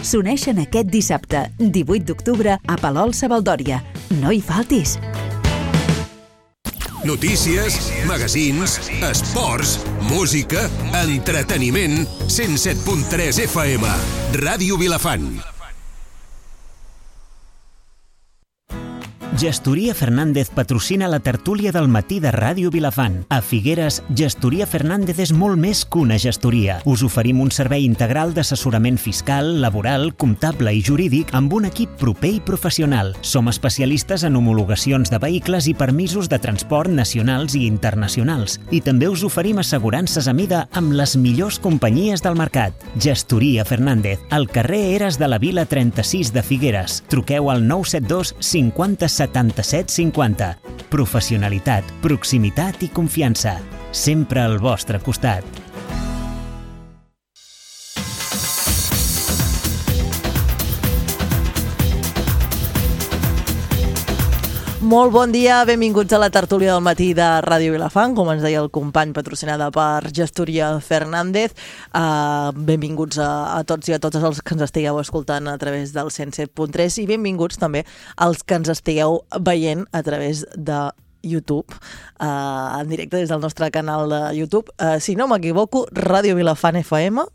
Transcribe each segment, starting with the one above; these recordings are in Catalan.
s'uneixen aquest dissabte, 18 d'octubre, a Palol-Savaldòria. No hi faltis! Notícies, magazins, esports, música, entreteniment, 107.3 FM, Ràdio Vilafant. Gestoria Fernández patrocina la tertúlia del matí de Ràdio Vilafant. A Figueres, Gestoria Fernández és molt més que una gestoria. Us oferim un servei integral d'assessorament fiscal, laboral, comptable i jurídic amb un equip proper i professional. Som especialistes en homologacions de vehicles i permisos de transport nacionals i internacionals. I també us oferim assegurances a mida amb les millors companyies del mercat. Gestoria Fernández, al carrer Eres de la Vila 36 de Figueres. Truqueu al 972 50 77 50. Professionalitat, proximitat i confiança. Sempre al vostre costat. Molt bon dia, benvinguts a la tertúlia del matí de Ràdio Vilafant, com ens deia el company, patrocinada per Gestoria Fernández. Benvinguts a tots i a totes els que ens estigueu escoltant a través del 107.3 i benvinguts també als que ens estigueu veient a través de YouTube, en directe des del nostre canal de YouTube. Si no m'equivoco, Ràdio Vilafant FM,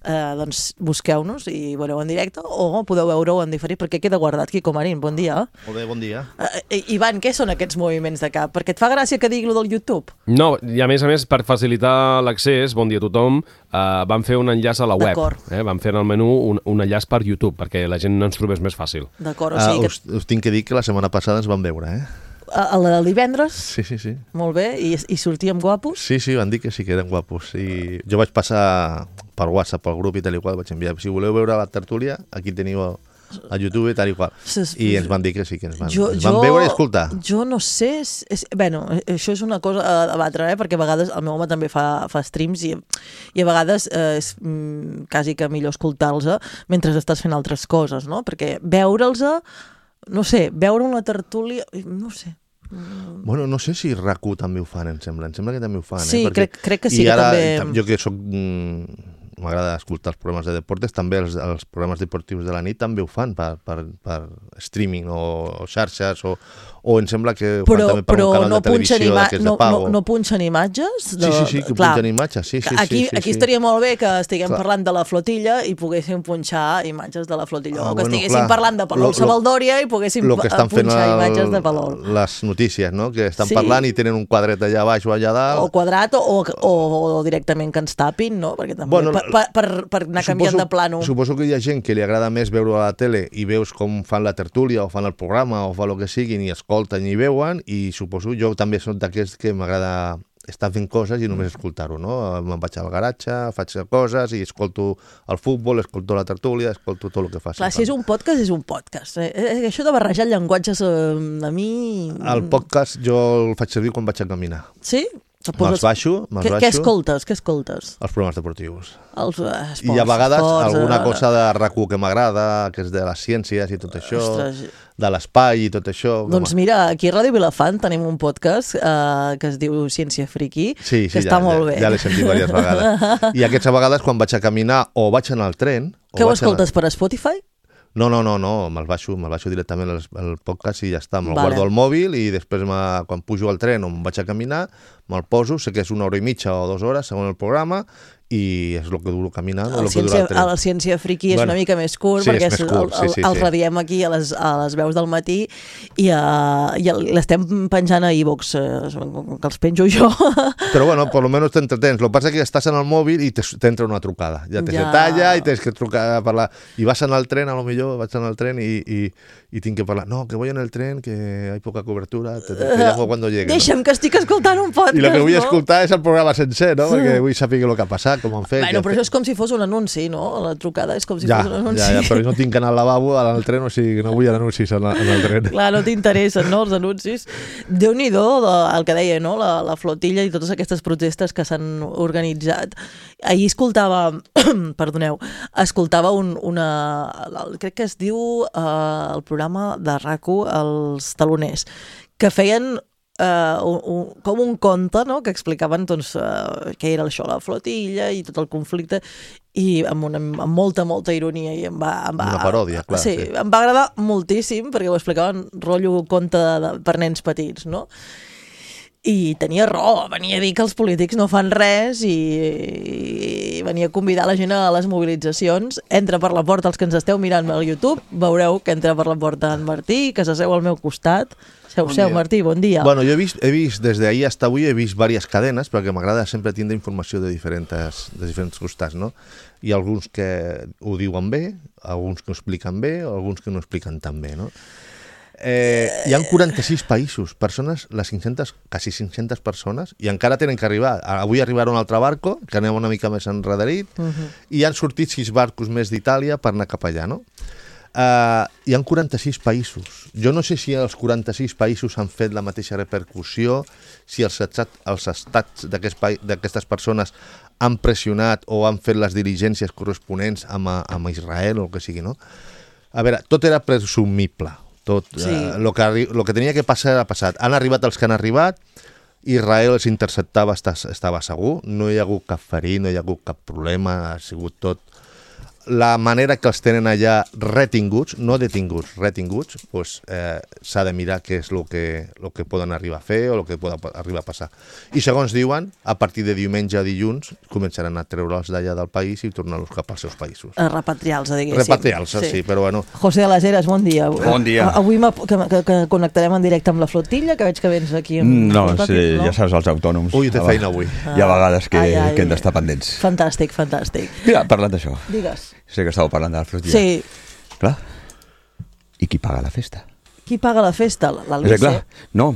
doncs busqueu-nos i veureu en directe o podeu veure-ho en diferit perquè queda guardat. Quico Marín, bon dia. Molt bé, bon dia. Ivan, què són aquests moviments de cap? Perquè et fa gràcia que digui lo del YouTube? No, i a més, per facilitar l'accés, bon dia a tothom, vam fer un enllaç a la web. Vam fer en el menú un enllaç per YouTube perquè la gent no ens trobés més fàcil. D'acord, o sigui que... Us tinc que dir que la setmana passada ens vam veure, El divendres? Sí. Molt bé, i sortíem guapos? Sí, van dir que sí que eren guapos. I jo vaig passar per WhatsApp, pel grup i tal i qual, vaig enviar. Si voleu veure la tertúlia, aquí teniu a YouTube tal i qual. I ens van dir que sí, que ens van veure i escoltar. Jo no sé... Bueno, això és una cosa a debatre, perquè a vegades el meu home també fa streams i a vegades és quasi que millor escoltar-los mentre estàs fent altres coses, no? Perquè veure'ls, no sé, veure una tertúlia... No sé. Bueno, no sé si RAC1 també ho fan, em sembla que també ho fan. Sí, crec que sí, que també... I ara, jo que soc... M'agrada escoltar els programes de deportes, també els programes deportius de la nit també ho fan per streaming o xarxes o em sembla que ho fan també per un canal de televisió d'aquests de pago. No punxen imatges? Sí, que punxen imatges, sí. Aquí estaria molt bé que estiguem parlant de la flotilla i poguéssim punxar imatges de la flotilla, o que estiguéssim parlant de Palol-Savaldòria i poguéssim punxar imatges de Palol. Les notícies, no? Que estan parlant i tenen un quadret allà baix o allà dalt. O quadrat o directament que ens tapin, no? Perquè també per anar canviant de plano. Suposo que hi ha gent que li agrada més veure a la tele i veus com fan la tertúlia o fan el programa o fa el que siguin i escolten i veuen, i suposo jo també soc d'aquests que m'agrada estar fent coses i només escoltar-ho, no? Me'n vaig al garatge, faig coses i escolto el futbol, escolto la tertúlia, escolto tot el que faci. Clar, si és un podcast, és un podcast. Això de barrejar llenguatges a mi... El podcast jo el faig servir quan vaig a caminar. Sí? Me'ls baixo. Què escoltes? Els programes deportius. Els esports. I a vegades alguna cosa de RAC1 que m'agrada, que és de les ciències i tot això, de l'espai i tot això. Doncs mira, aquí a Ràdio Vilafant tenim un podcast que es diu Ciència Friki, que està molt bé. Ja l'he sentit diverses vegades. I aquestes vegades quan vaig a caminar o vaig en el tren... Què ho escoltes, per Spotify? No, me'l baixo directament el podcast i ja està, me'l guardo al mòbil i després quan pujo al tren o em vaig a caminar, me'l poso, sé que és 1 hora i mitja o 2 hores segons el programa i és el que duro caminant o el que dura el tren. La Ciència Friki és una mica més curt, perquè el radiem aquí a les veus del matí i l'estem penjant a iVoox, que els penjo jo. Però bueno, per almenys t'entretens. El que passa és que estàs en el mòbil i t'entra una trucada. Ja se talla i tens que trucar a parlar. I vas en el tren, a lo millor vaig en el tren i tinc que parlar. No, que voy en el tren, que hay poca cobertura, te llamo cuando llegue. Deixa'm, que estic escoltant un podcast, I el que vull escoltar és el programa sencer, no? Perquè vull saber el que ha passat, com han fet. Bueno, però això és com si fos un anunci, no? La trucada és com si fos un anunci. Ja, però no tinc anar al lavabo al tren, o sigui que no vull anuncis en el tren. Clar, no t'interessen, no, els anuncis. Déu-n'hi-do el que deia, no? La flotilla i totes aquestes protestes que s'han organitzat. Ahir escoltava, crec que es diu el programa de RAC1, Els Taloners, que feien com un conte, no?, que explicaven doncs, què era això, la flotilla i tot el conflicte, i amb molta ironia, i una paròdia, clar. Sí, em va agradar moltíssim, perquè ho explicaven rotllo conte per nens petits, no? I tenia raó, venia a dir que els polítics no fan res i venia a convidar la gent a les mobilitzacions. Entra per la porta, els que ens esteu mirant al YouTube, veureu que entra per la porta en Martí, que s'asseu al meu costat. Seu, Martí, bon dia. Bueno, jo he vist des d'ahir fins avui, he vist diverses cadenes, perquè m'agrada sempre tindre informació de diferents costats, no? Hi ha alguns que ho diuen bé, alguns que ho expliquen bé, alguns que no ho expliquen tan bé, no? Hi ha 46 països, persones, quasi 500 persones, i encara tenen que arribar. Avui arribarà un altre barco, que anem una mica més enrederit, i han sortit 6 barcos més d'Itàlia per anar cap allà, no? Hi ha 46 països. Jo no sé si els 46 països han fet la mateixa repercussió, si els estats d'aquestes persones han pressionat o han fet les diligències corresponents amb Israel o el que sigui, no? A veure, tot era presumible. Tot, sí. Lo que tenia que passar ha passat. Han arribat els que han arribat, Israel els interceptava, estava segur, no hi ha hagut cap ferit, no hi ha hagut cap problema, ha sigut tot. La manera que els tenen allà retinguts, no detinguts, retinguts, pues, s'ha de mirar què és el que poden arribar a fer o el que pot arribar a passar. I segons diuen, a partir de diumenge a dilluns començaran a treure'ls d'allà del país i tornar-los cap als seus països. Repatriar-los, diguéssim. Repatriar-los, sí, però bueno. José de les Heres, bon dia. Bon dia. Avui que connectarem en directe amb la flotilla, que veig que vens aquí. No, sí, ja saps, els autònoms. Ui, té feina avui. Hi ha vegades que hem d'estar pendents. Fantàstic. Mira, parlant d'això. Digues. Sé que estàveu parlant de la flotilla. Sí. Clar. I qui paga la festa? Qui paga la festa? L'Albise? Clar, no.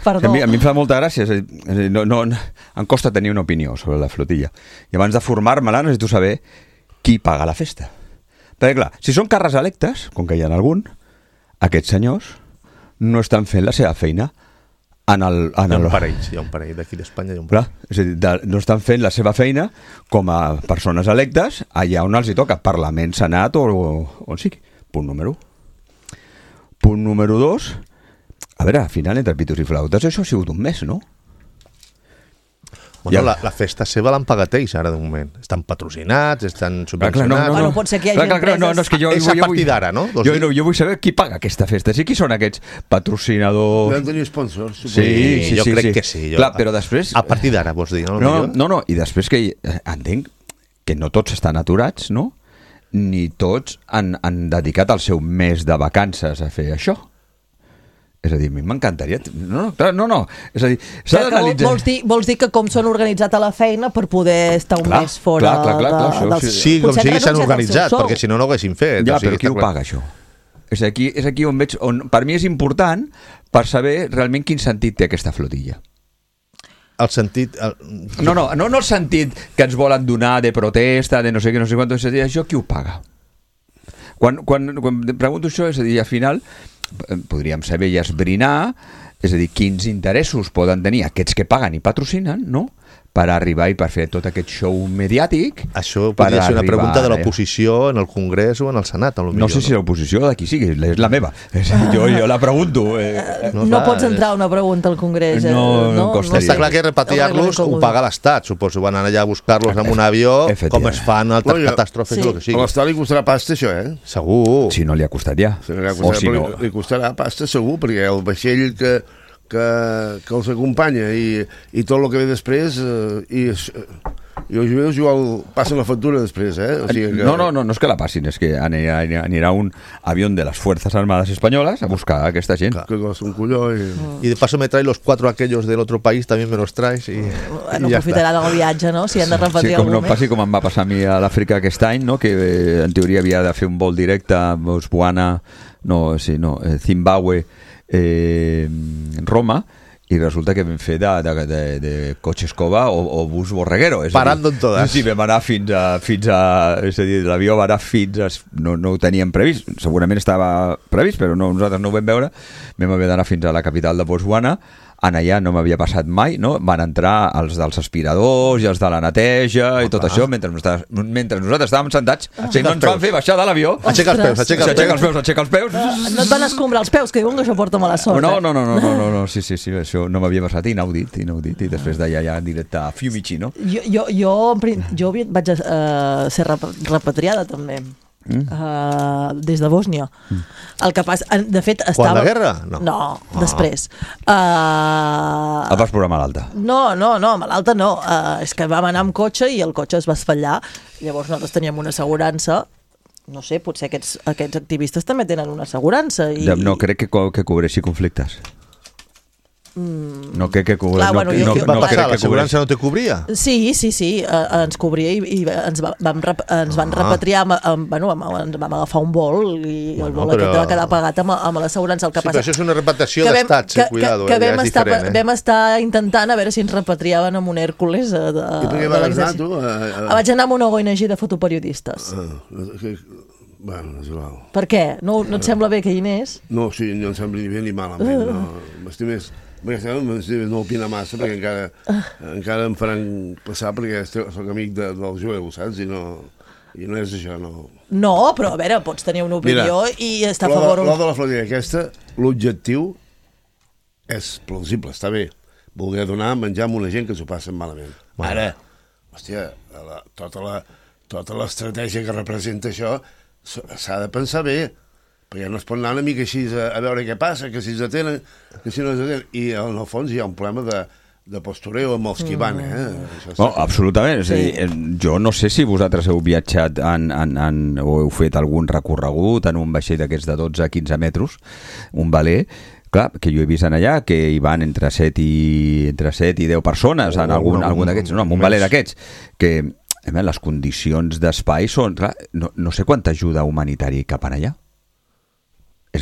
Perdó. A mi em fa molta gràcia. Em costa tenir una opinió sobre la flotilla. I abans de formar-me-la necessito saber qui paga la festa. Perquè clar, si són càrrecs electes, com que hi ha algun, aquests senyors no estan fent la seva feina hi ha un parell d'aquí d'Espanya. Clar, és a dir, no estan fent la seva feina com a persones electes allà on els hi toca, Parlament, Senat o on sigui. Punt número 1. Punt número 2, a veure, al final, entre pitos i flautes, això ha sigut un mes, no? Bueno, la festa seva l'han pagat ells ara de moment. Estan patrocinats, estan subvencionats. Bueno, pot ser que hi hagi empreses... És a partir d'ara, no? Jo vull saber qui paga aquesta festa. Sí, qui són aquests patrocinadors? Van tenir sponsors. Sí, jo crec que sí. Clar, però després... A partir d'ara, vols dir, no? No, i després que entenc que no tots estan aturats, no? Ni tots han dedicat el seu mes de vacances a fer això. És a dir, a mi m'encantaria... No. És a dir, s'ha d'analitzar... Vols dir que com són organitzats a la feina per poder estar un mes fora... Clar. Sí, com sigui s'han organitzat, perquè si no, no ho haguessin fet. Ja, però qui ho paga, això? És aquí on veig... Per mi és important per saber realment quin sentit té aquesta flotilla. El sentit... No el sentit que ens volen donar de protesta, de no sé què, no sé quant, és a dir, això qui ho paga? Quan pregunto això, és a dir, al final podríem saber i esbrinar, és a dir, quins interessos poden tenir aquests que paguen i patrocinen, no?, per arribar i per fer tot aquest show mediàtic. Això podria ser una pregunta de l'oposició en el Congrés o en el Senat, a lo millor. No sé si l'oposició de qui sigui, és la meva. Jo la pregunto. No pots entrar una pregunta al Congrés. No costaria. Està clar que repatriar-los ho paga l'Estat, suposo. Van anar allà a buscar-los amb un avió, com es fan altres catàstrofes o el que sigui. A l'Estat li costarà pasta, això, Segur. Si no li ha costat ja. Li costarà pasta, segur, perquè el vaixell que els acompanya i tot el que ve després i els jueus igual passen la factura després, O sigui que... No és que la passin, és que anirà un avió de les Fuerzas Armadas Españolas a buscar a aquesta gent. Que costa un colló y de paso me trae los 4 aquellos del otro país, también me los traes y no aprofitaran el viatge, no? Si han de repatriar algú més. Passi com em va passar a mi a l'Àfrica aquest any, no? Que en teoria havia de fer un vol directe a Botswana, Zimbabue, Roma, i resulta que vam fer de cotxe escova o bus borreguero. Parando en todas. Sí, vam anar fins a és a dir, l'avió va anar fins a... No ho teníem previst, segurament estava previst, però nosaltres no ho vam veure. Vam haver d'anar fins a la capital de Botswana allà no m'havia passat mai, no? Van entrar els dels aspiradors i els de la neteja i tot això, mentre nosaltres estàvem sentats, i no ens van fer baixar de l'avió. Aixeca els peus. No et van escombrar els peus, que diuen que això porta mala sort. No, sí, això no m'havia passat, inaudit, i després d'allà ja directe a Fiumicino. Jo vaig ser repatriada també. Des de Bòsnia. El que passa, de fet, estava... Quan la guerra? No, després. El vas posar malalta? No, malalta no. És que vam anar amb cotxe i el cotxe es va esfallar. Llavors nosaltres teníem una assegurança. No sé, potser aquests activistes també tenen una assegurança. No crec que cobreixi conflictes. No crec que cobria. Què va passar? L'assegurança no te cobria? Sí, ens cobria i ens van repatriar, ens vam agafar un vol i el vol aquest va quedar pagat amb l'assegurança. Sí, però això és una repatriació d'estat, cuidado, ja és diferent. Vam estar intentant a veure si ens repatriaven amb un Hèrcules de l'exèrcit. Vaig anar amb una ONG de fotoperiodistes. Bueno, és igual. Per què? No et sembla bé que hi anés? No, sí, no em sembla ni bé ni malament. No opina massa perquè encara em faran passar perquè soc amic del jueu, saps? I no és això, no. No, però a veure, pots tenir una opinió i estar a favor... L'O de la Florida aquesta, l'objectiu és plausible, està bé. Voler donar menjar a una gent que s'ho passen malament. Ara, hòstia, tota l'estratègia que representa això s'ha de pensar bé, perquè no es pot anar una mica així a veure què passa, que si s'atenen, que si no s'atenen. I en el fons hi ha un problema de postureo amb els que van, No, absolutament. És a dir, jo no sé si vosaltres heu viatjat o heu fet algun recorregut en un vaixell d'aquests de 12-15 metres, un veler, clar, que jo he vist allà que hi van entre 7 i 10 persones en algun d'aquests, en un veler d'aquests, que les condicions d'espai són... Clar, no sé quanta ajuda humanitària hi cap allà.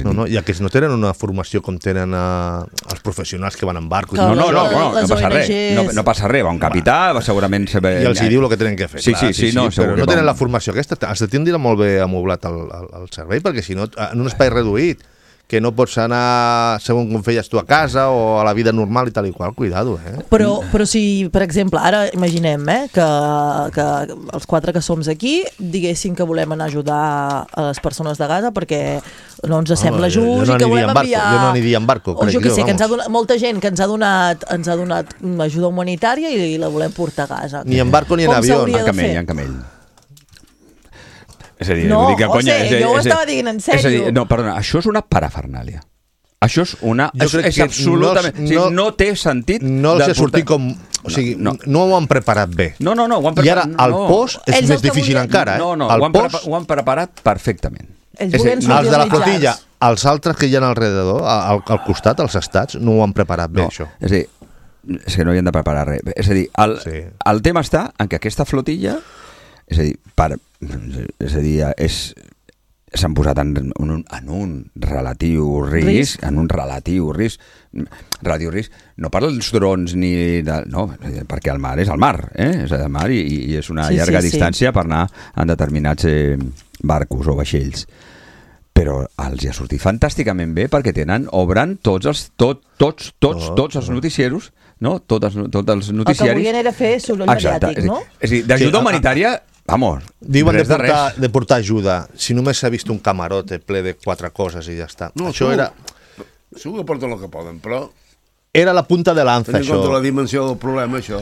No, i aquests no tenen una formació com tenen els professionals que van en barco. No passa res. No passa res, va un capità, segurament... I els hi diu el que tenen que fer. Sí, però no tenen la formació aquesta. Has de tindre molt bé amoblat el servei, perquè si no, en un espai reduït, que no pots anar segons com feies tu a casa o a la vida normal i tal i qual, cuidado, Però si, per exemple, ara imaginem que els 4 que som aquí diguéssim que volem anar a ajudar a les persones de Gaza perquè no ens sembla just i que volem enviar... Jo no aniria en barco, crec jo. Que sé, que ens ha donat, molta gent que ens ha donat ajuda humanitària i la volem portar a Gaza. Ni en barco ni en avió. En camell. És a dir, no, José, jo ho estava dient en sèrio. És a dir, no, perdona, això és una parafernàlia. Això és una... És absolutament... No té sentit... No els he sortit com... O sigui, no ho han preparat bé. No, ho han preparat... I ara el post és més difícil encara, No, ho han preparat perfectament. Els de la flotilla, els altres que hi ha alrededor, al costat, als estats, no ho han preparat bé, això. És a dir, és que no hi han de preparar res. És a dir, el tema està en que aquesta flotilla... És a dir, s'han posat en un relatiu risc, no per als drons ni... No, perquè el mar és el mar, és el mar i és una llarga distància per anar en determinats barcos o vaixells. Però els hi ha sortit fantàsticament bé perquè obren tots els noticieros, no? Tots els noticiaris. El que volien era fer soroll mediàtic, no? És a dir, d'ajuda humanitària... Vamos, diuen de portar ajuda. Si només s'ha vist un camarote ple de 4 coses i ja està. No, això era... Segur que porten el que poden, però... Era la punta de lanza, això. Tenint en compte la dimensió del problema, això...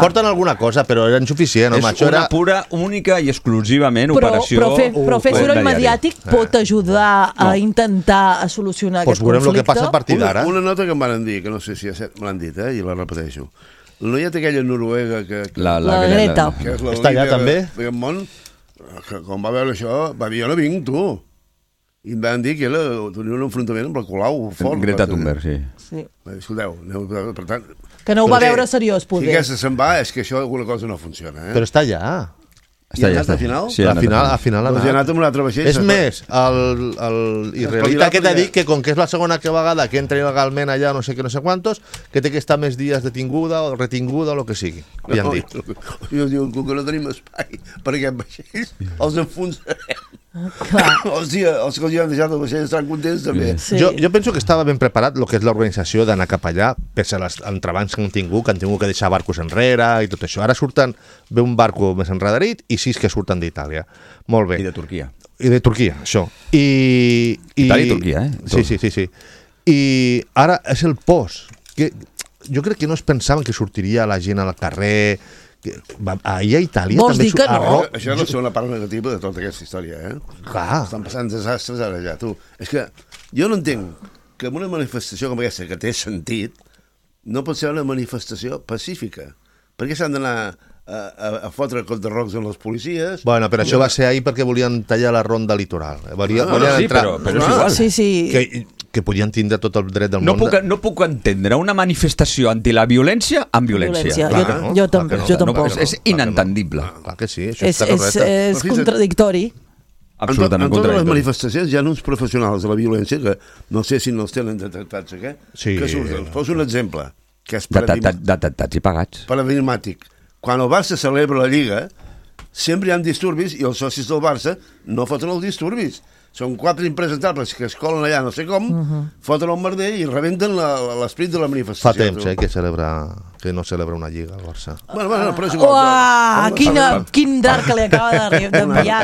Porten alguna cosa, però era insuficient. És una pura, única i exclusivament operació... Però fer soroll mediàtic pot ajudar a intentar solucionar aquest conflicte? Veurem el que passa a partir d'ara. Una nota que em van dir, que no sé si me l'han dit, i la repeteixo. No hi ha aquella noruega que... La Greta. Que és la està allà també? D'aquest món, que quan va veure això, va dir, jo no vinc, tu. I em van dir que tenia un enfrontament amb la Colau fort. Greta Thunberg, sí. Escolteu, per tant... Que no ho va veure seriós, poder. Si aquesta se'n va, és que això alguna cosa no funciona, Però està allà. I ha anat al final? Sí, al final ha anat. Doncs ha anat amb un altre vaixell. És més, l'israelita que t'ha dit que com que és la segona vegada que entra il·legalment allà no sé què, no sé quantos, que té que estar més dies detinguda o retinguda o el que sigui. Li han dit. Jo diu que no tenim espai per aquest vaixell, els enfonsarem. Hòstia, els que els han deixat el vaixell estan contents també. Sí. Jo penso que estava ben preparat el que és l'organització d'anar cap allà, pese a les entrebancs que han tingut que deixar barcos enrere i tot això. Ara ve un barco més enrederit i 6 que surten d'Itàlia. Molt bé. I de Turquia. I de Turquia, això. Itàlia i Turquia, Sí. I ara és el post. Jo crec que no es pensaven que sortiria la gent al carrer... Ahir a Itàlia Vols també dir que no? Això és una part negativa de tota aquesta història, Clar. Estan passant desastres ara ja, tu. És que jo no entenc que en una manifestació com aquesta, que té sentit, no pot ser una manifestació pacífica. Per què s'han d'anar a fotre contrarrocs amb les policies? Bueno, però això va ser ahir perquè volien tallar la ronda litoral. Volien sí, entrar... però és igual. Sí. Que podien tindre tot el dret del món. No puc entendre una manifestació anti la violència amb violència. Jo tampoc. És inentendible. Clar que sí, això està correcte. És contradictori. Absolutament en totes les contradictori. manifestacions hi ha uns professionals de la violència que no sé si no els tenen detectats, que surten. Poso un exemple, que és Detectats i pagats. paradigmàtic. Quan el Barça celebra la Lliga, sempre hi ha disturbis i els socis del Barça no foten els disturbis. Són 4 impresentables que es colen allà no sé com, foten el merder i rebenten l'esperit de la manifestació. Fa temps que no celebra una lliga al Barça. Bueno, però és igual. Uah, quin drap que li acaba d'enviar.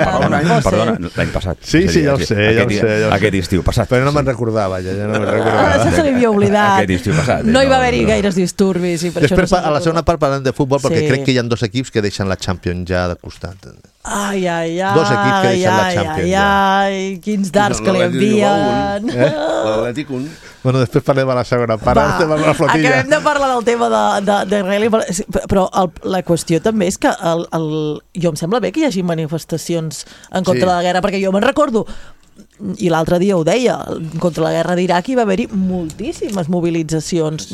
Perdona, l'any passat. Sí, ja ho sé. Aquest estiu passat. Però no me'n recordava, ja no me'n recordava. Això se li havia oblidat. Aquest estiu passat. No hi va haver-hi gaires disturbis. I per Després, això a la segona part, parlant de futbol, perquè crec que hi ha 2 equips que deixen la Champions ja de costat. Ai, 2 equips que deixen la Champions ja. Quins dards que li envien. L'Atlètic un. Bueno, després parlem a la segona part. La flotilla. Acabem de parlar del tema de Rally, però la qüestió també és que jo em sembla bé que hi hagi manifestacions en contra de la guerra, perquè jo me'n recordo, i l'altre dia ho deia, contra la guerra d'Iraq hi va haver-hi moltíssimes mobilitzacions.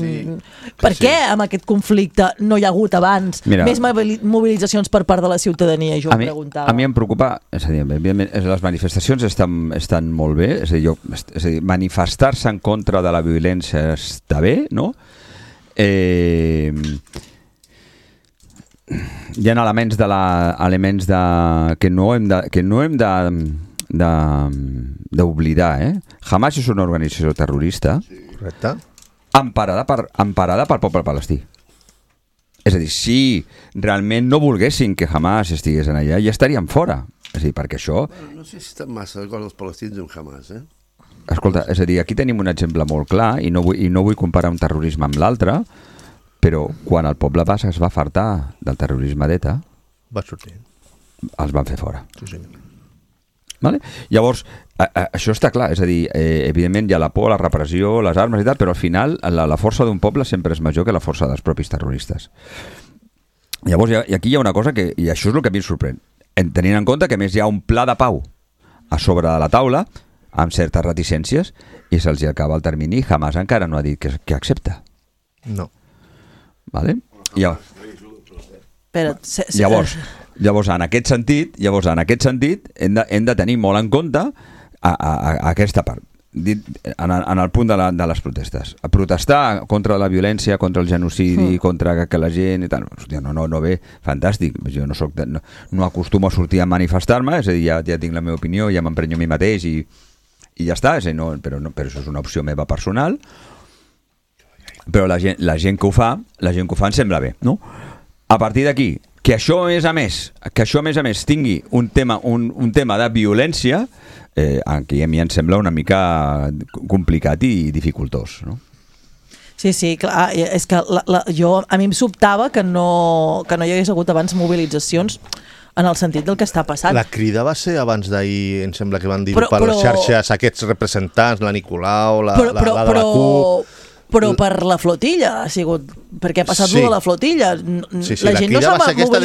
Per què amb aquest conflicte no hi ha hagut abans més mobilitzacions per part de la ciutadania? Jo em preguntava. A mi em preocupa, és a dir, les manifestacions estan molt bé, és a dir, manifestar-se en contra de la violència està bé, no? Hi ha elements que no hem d'oblidar, Hamas és una organització terrorista emparada pel poble palestí. És a dir, si realment no volguessin que Hamas estigués en allà, ja estarien fora. És a dir, perquè això... No sé si estan massa d'acord els palestins amb Hamas, Escolta, és a dir, aquí tenim un exemple molt clar i no vull comparar un terrorisme amb l'altre, però quan el poble basc es va fartar del terrorisme d'ETA, va sortir. Els van fer fora. Sí, senyor. Vale? Llavors, això està clar, és a dir, evidentment hi ha la por, la repressió, les armes i tal, però al final la força d'un poble sempre és major que la força dels propis terroristes. Llavors, aquí hi ha una cosa que, i això és el que a mi em sorprèn, tenint en compte que a més hi ha un pla de pau a sobre de la taula, amb certes reticències, i se'ls acaba el termini i Hamas encara no ha dit que accepta. No. Vale? Llavors, en aquest sentit, hem de tenir molt en compte aquesta part, en el punt de les protestes. A protestar contra la violència, contra el genocidi, contra que la gent i tal. Hòstia, no ve, fantàstic. Jo no acostumo a sortir a manifestar-me, és a dir, ja tinc la meva opinió, ja m'emprenyo a mi mateix i ja està, però això és una opció meva personal. Però la gent que ho fa em sembla bé, no? A partir d'aquí, que això a més a més tingui un tema de violència, aquí a mi em sembla una mica complicat i dificultós, no? Sí, clar, és que a mi em sobtava que no hi hagués hagut abans mobilitzacions en el sentit del que està passant. La crida va ser abans d'ahir, em sembla que van dir per les xarxes aquests representants, la Nicolau, la de la CUP... Però per la flotilla ha sigut, perquè ha passat lo de la flotilla. La gent no s'ha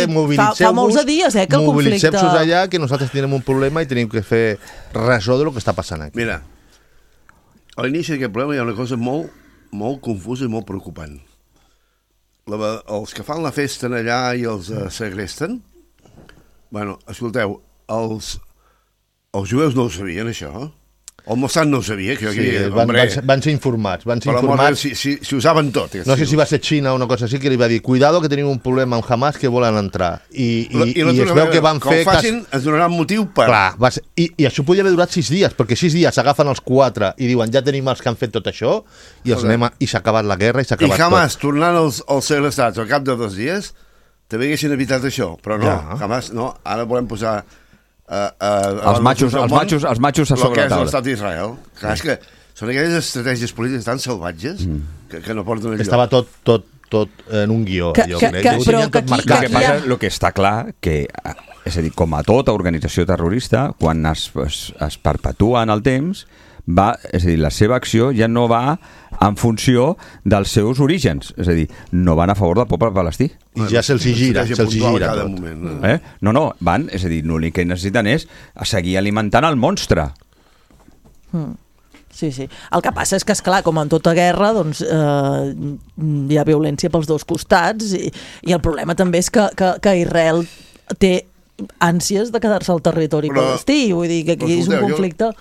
mobilitzat. Fa molts de dies que el conflicte... Mobilitzem-nos allà, que nosaltres tenim un problema i tenim que fer ressò de lo que està passant aquí. Mira, a l'inici d'aquest problema hi ha una cosa molt, molt confusa i molt preocupant. Els que fan la festa allà i els segresten, bueno, escolteu, els jueus no ho sabien, això? El Mossad no ho sabia, que Sí, van ser informats. Si ho saben tot. No sé si va ser Xina o una cosa així, que li va dir cuidado que tenim un problema amb Hamas que volen entrar. I es veu que van fer... Que ho facin, es donarà un motiu per... Clar, i això podia haver durat 6 dies, perquè 6 dies s'agafen els 4 i diuen ja tenim els que han fet tot això i s'ha acabat la guerra i s'ha acabat tot. I Hamas, tornant als segrestats al cap de 2 dies, també haguessin evitat això, però no, Hamas no, ara volem posar... els matxos a sobre la taula. Que és l'estat d'Israel. Clar, és que són aquelles estratègies polítiques tan salvatges que no porten enlloc. Estava tot en un guió. El que està clar, que, és a dir, com a tota organització terrorista, quan es perpetua en el temps, és a dir, la seva acció ja no va en funció dels seus orígens, és a dir, no van a favor del poble palestí. I ja se'ls gira tot. No, van, és a dir, l'únic que necessiten és seguir alimentant el monstre. Sí. El que passa és que, esclar, com en tota guerra, doncs hi ha violència pels dos costats i el problema també és que Israel té ànsies de quedar-se al territori palestí, vull dir que aquí és un conflicte...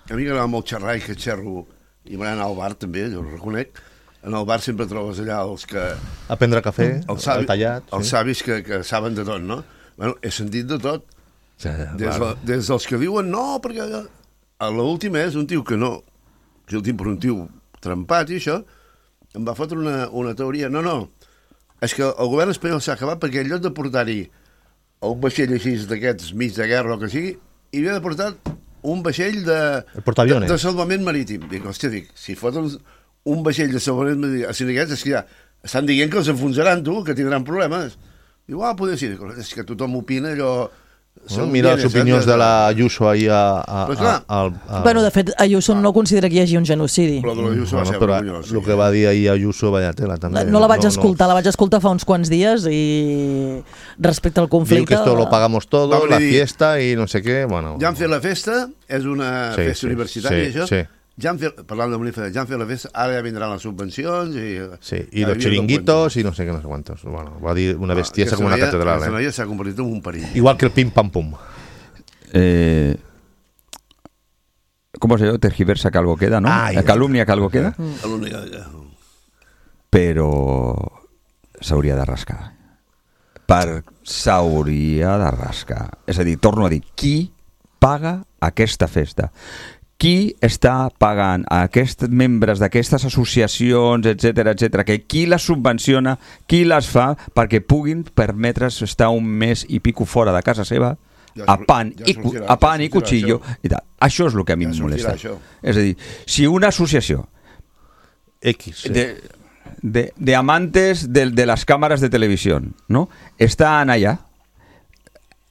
A mi m'agrada molt xerrar i que xerro, i m'agrada anar al bar també, jo ho reconec. En el bar sempre trobes allà els que... A prendre cafè, tallat... Els savis que saben de tot, no? Bueno, he sentit de tot. Des dels que diuen no, perquè a l'última és un tio que no, que el tinc per un tio trempat i això, em va fotre una teoria. No, és que el govern espanyol s'ha acabat perquè en lloc de portar-hi un vaixell així d'aquests mig de guerra o que sigui, hi havia de portar un vaixell de salvament marítim. Dic, si foten un vaixell de salvament marítim, és que ja estan dient que els enfonsaran, que tindran problemes. Diu, poder ser. És que tothom opina allò... Mira les opinions de la Ayuso ahir Bueno, de fet, Ayuso no considera que hi hagi un genocidi. Però de l'Ayuso va ser vergonyós. El que va dir ahir Ayuso, vaya tela, també. No la vaig escoltar, la vaig escoltar fa uns quants dies i respecte al conflicte... Diu que esto lo pagamos todo, la fiesta i no sé què, bueno... Ja han fet la festa, és una festa universitària, això. Ja han fet, parlant de manifestar, ja han fet la festa, ara ja vindran les subvencions i los chiringuitos i no sé què, no sé quantos. Bueno, va dir una bestiesa com una catedral. Aquesta noia s'ha convertit en un perill. Igual que el pim-pam-pum. ¿Cómo se llama? Tergiversa que algo queda, ¿no? Calumnia que algo queda. Calumnia que algo queda. Però s'hauria de rascar. S'hauria de rascar. És a dir, torno a dir, qui paga aquesta festa? Qui està pagant a aquests membres d'aquestes associacions, etc, que qui les subvenciona, qui les fa perquè puguin permetre's estar un mes i pico fora de casa seva a pan i cuchillo i tal. Això és el que a mi em molesta. És a dir, si una associació de amantes de les càmeres de televisió, no, estan allà,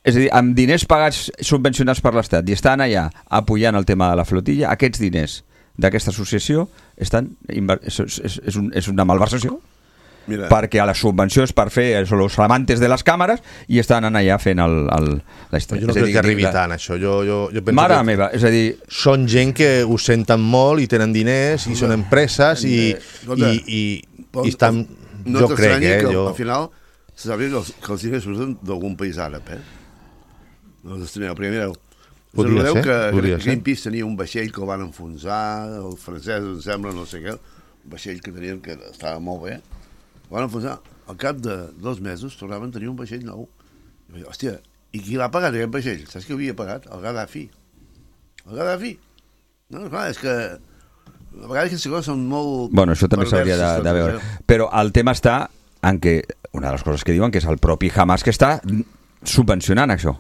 és a dir, amb diners pagats subvencionats per l'Estat i estan allà apoyant el tema de la flotilla, aquests diners d'aquesta associació és una malversació. Mira. Perquè a les subvencions per fer els amantes de les càmeres i estan allà fent la història. Jo no crec que arribi tant, això. Jo penso mare meva, és a dir... Són gent que ho senten molt i tenen diners i són empreses i estan... No t'estranyi que al final se sàpiga que els diners surten d'algun país àrab, No t'estranyi, primer recordeu que Greenpeace tenia un vaixell que el van enfonsar, els francesos, em sembla, no sé què, un vaixell que tenien que estava molt bé, el van enfonsar. Al cap de 2 mesos tornaven a tenir un vaixell nou. I vaig dir, hòstia, i qui l'ha pagat aquest vaixell? Saps qui ho havia pagat? El Gaddafi. El Gaddafi. No, clar, és que a vegades aquestes coses són molt... Bueno, això també s'hauria de veure. Però el tema està en que, una de les coses que diuen, que és el propi Hamas que està subvencionant això.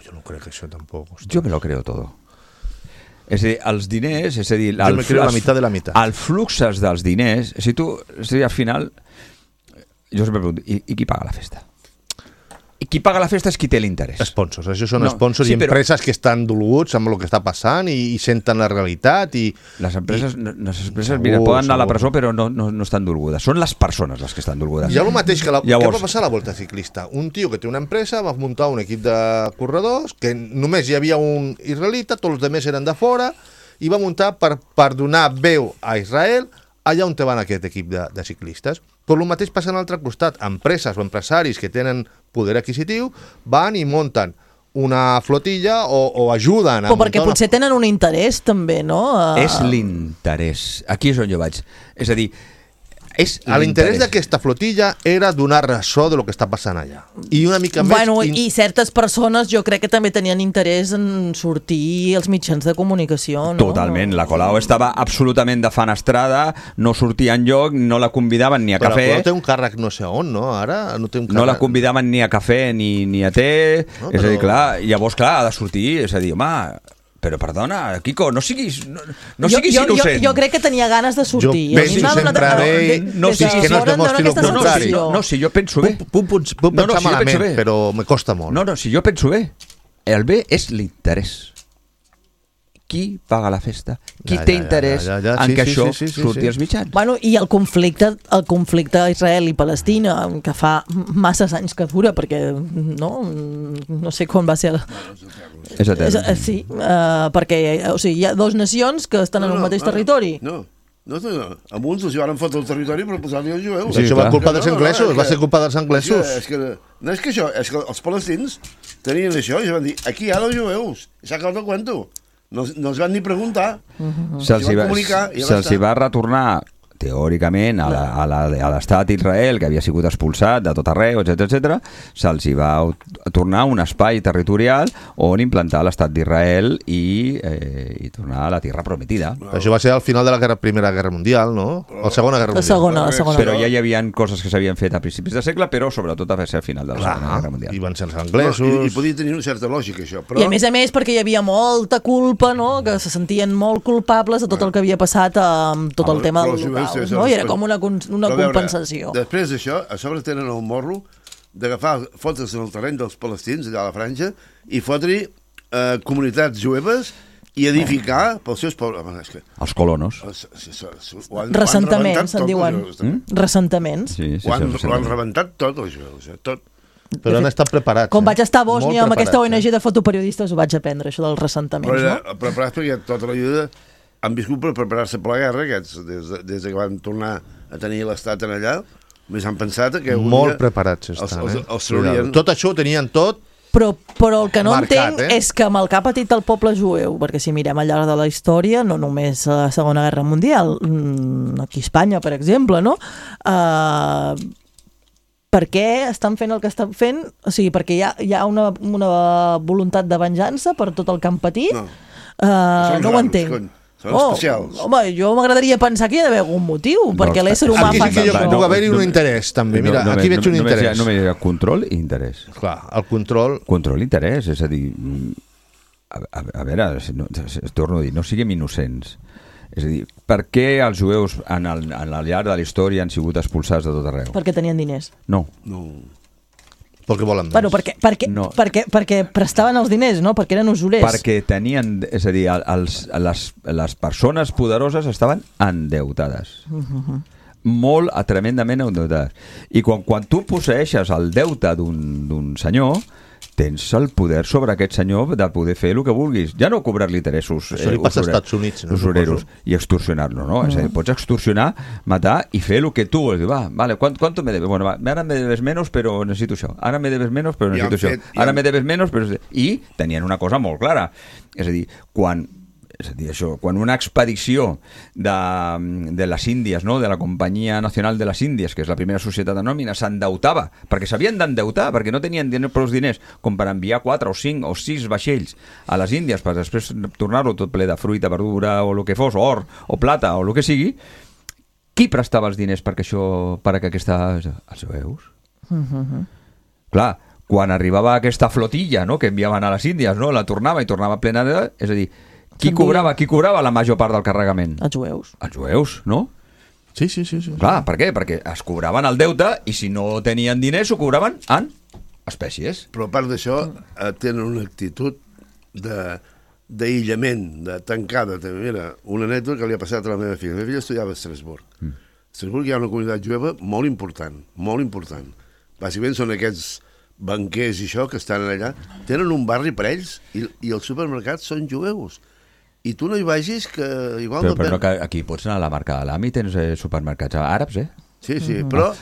Jo no crec que això tampoc. Jo me lo creo todo. És a dir, els diners, és a dir... Jo me creo la meitat de la meitat. Els fluxes dels diners, si tu, és a dir, al final, jo sempre pregunto, i qui paga la festa? I qui paga la festa és qui té l'interès. Sponsors, això són sponsors i empreses que estan dolguts amb el que està passant i senten la realitat i... Les empreses, mira, poden anar a la presó però no estan dolgudes. Són les persones les que estan dolgudes. Hi ha el mateix que què va passar a la Volta Ciclista. Un tio que té una empresa va muntar un equip de corredors que només hi havia un israelita, tots els altres eren de fora i va muntar per donar veu a Israel allà on te van aquest equip de ciclistes. Però el mateix passa a l'altre costat. Empreses o empresaris que tenen poder adquisitiu van i munten una flotilla o ajuden. Però perquè potser tenen un interès també, no? És l'interès. Aquí és on jo vaig. És a dir, l'interès d'aquesta flotilla era donar ressò de lo que està passant allà. I una mica més... Bueno, i certes persones jo crec que també tenien interès en sortir als mitjans de comunicació, no? Totalment. La Colau estava absolutament defenestrada, no sortia enlloc, no la convidaven ni a cafè. Però té un càrrec no sé on, no? Ara no té un càrrec... No la convidaven ni a cafè ni a té. No, és a dir, clar, llavors, clar, ha de sortir. És a dir, home... Però perdona, Quico, no siguis innocent. Jo crec que tenia ganes de sortir. No si jo penso bé. Puc pensar malament, però me costa molt. No, si jo penso bé. El bé és l'interès. Qui paga la festa? Qui té interès en que això surti als mitjans? Bueno, i el conflicte a Israel i Palestina, que fa masses anys que dura, perquè no sé quan va ser... És etern. Sí, perquè hi ha dues nacions que estan en un mateix territori. No, amb uns els van fotre el territori per posar-li els jueus. Això va culpa dels anglesos, va ser culpa dels anglesos. No és que això, és que els palestins tenien això i van dir, aquí hi ha els jueus, s'ha acabat el cuento. No els van ni preguntar. Se'ls va retornar teòricament a l'estat d'Israel, que havia sigut expulsat de tot arreu, etc. Se'ls va tornar un espai territorial on implantar l'estat d'Israel i tornar a la Tierra Prometida. Això va ser al final de la Primera Guerra Mundial, no? O la Segona Guerra Mundial. La segona. Però ja hi havia coses que s'havien fet a principis de segle, però sobretot va ser al final de la Segona Guerra Mundial. I van ser els anglesos... I podia tenir una certa lògica, això. I a més, perquè hi havia molta culpa, no? Que se sentien molt culpables de tot el que havia passat amb tot el tema del local. No? I era com una compensació. Després d'això, a sobre tenen el morro d'agafar fotos en el terreny dels palestins, allà a la Franja, i fotre comunitats jueves i edificar pels seus pobles. Els colonos. Ressentaments, se'n diuen. Ressentaments. Ho han rebentat tot, els jueus, tot. Però han estat preparats. Com vaig estar a Bòsnia amb aquesta ONG de fotoperiodistes, ho vaig aprendre, això dels ressentaments, no? Preparats perquè tota la vida han viscut per preparar-se per la guerra, aquests, des que van tornar a tenir l'estat en allà, més han pensat que... Molt preparats estan, els traurien... Tot això ho tenien tot. Però el que no entenc és que amb el que ha patit el poble jueu, perquè si mirem al llarg de la història, no només a la Segona Guerra Mundial, aquí a Espanya, per exemple, no? Per què estan fent el que estan fent? O sigui, perquè hi ha una voluntat de venjança per tot el que han patit? No ho entenc. Són especials. Home, jo m'agradaria pensar que hi ha d'haver algun motiu, perquè l'ésser humà fa... Aquí sí que puc haver-hi un interès, també. Mira, aquí veig un interès. Només hi ha control i interès. Clar, el control... Control i interès, és a dir... A veure, torno a dir, no siguem innocents. És a dir, per què els jueus en el llarg de la història han sigut expulsats de tot arreu? Perquè tenien diners. No. Perquè volen més. Bueno, perquè prestaven els diners, no? Perquè eren usurers. Perquè tenien, és a dir, les persones poderoses estaven endeutades. Molt tremendament endeutades. I quan tu posseeixes el deute d'un senyor, tens el poder sobre aquest senyor de poder fer el que vulguis. Ja no cobrar-li interessos això li passa als Estats Units, no? Usureros i extorsionar-lo, no? És a dir, pots extorsionar, matar i fer el que tu vols. Vale, ¿cuánto me debes? Bueno, ahora me debes menos, pero necesito això. Ahora me debes menos, pero necesito això. Ara me debes menos, però... I tenien una cosa molt clara. És a dir, quan una expedició de les Índies, no? De la Companyia Nacional de les Índies, que és la primera societat anònima, s'endeutava, perquè s'havien d'endeutar, perquè no tenien prou diners com per enviar 4 o 5 o 6 vaixells a les Índies per després tornar-ho tot ple de fruita, verdura o el que fos, or o plata o el que sigui. Qui prestava els diners perquè els jueus? Clar, quan arribava aquesta flotilla, no? Que enviaven a les Índies, no? La tornava i tornava plena de... És a dir, qui cobrava la major part del carregament? Els jueus. Els jueus, no? Sí. Clar, per què? Perquè es cobraven el deute i si no tenien diners ho cobraven en espècies. Però a part d'això tenen una actitud d'aïllament, de tancada. Mira, una anècdota que li ha passat a la meva filla. La meva filla estudiava a Estrasburg. A Estrasburg hi ha una comunitat jueva molt important. Bàsicament són aquests banquers i això que estan allà. Tenen un barri per ells i els supermercats són jueus. I tu no hi vagis que igual... Però no, que aquí pots anar a la marca de l'AMI i tens supermercats àrabs, Sí, però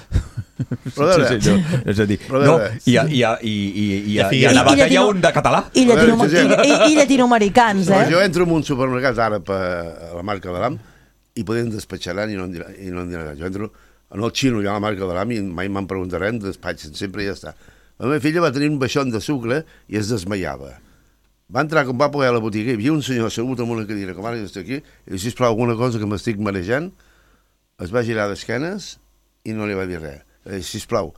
és a dir, i a Navata hi ha un de català. I llatinoamericans, Jo entro en un supermercat ara a la marca de l'AM i podem despatxaran i no em diran. Jo entro en el xino, hi ha la marca de l'AM i mai me'n preguntaran, despatxen sempre i ja està. La meva filla va tenir un baixón de sucre i es desmaiava. Va entrar, com va poder a la botiga, hi havia un senyor assegut en una cadira, com ara jo estic aquí, i diu, sisplau, alguna cosa que m'estic marejant, es va girar d'esquenes i no li va dir res. Sisplau,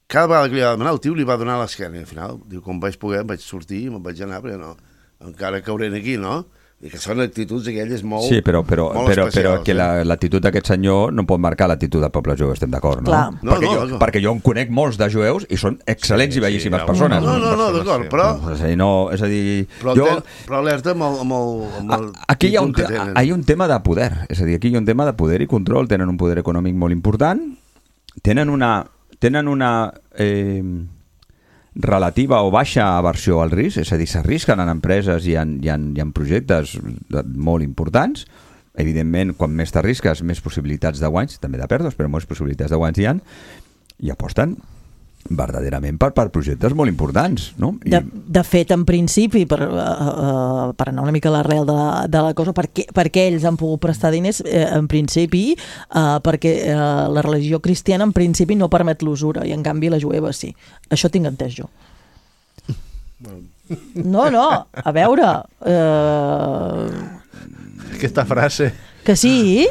cada vegada que li va demanar, el tio li va donar l'esquena, i al final, diu, com vaig poder, em vaig sortir i me'n vaig anar, perquè no, encara cauré aquí, no? I que són actituds aquelles molt Sí, però especials, que l'actitud d'aquest senyor no pot marcar l'actitud del poble jueu, estem d'acord, no? Clar. Perquè jo en conec molts de jueus i són excel·lents i bellíssimes persones. No, d'acord, però... És a dir... Però alerta amb el aquí hi ha un tema de poder, és a dir, aquí hi ha un tema de poder i control, tenen un poder econòmic molt important, tenen una relativa o baixa aversió al risc, és a dir, s'arrisquen en empreses i en projectes molt importants. Evidentment, quan més t'arrisques, més possibilitats de guanys, també de pèrdues, però més possibilitats de guanys hi ha, i aposten verdaderament per projectes molt importants, no? De fet, en principi, per anar una mica a l'arrel de la cosa, perquè ells han pogut prestar diners, en principi, perquè la religió cristiana en principi no permet l'usura, i en canvi la jueva sí. Això tinc entès jo. No, a veure... Aquesta frase... Que sí...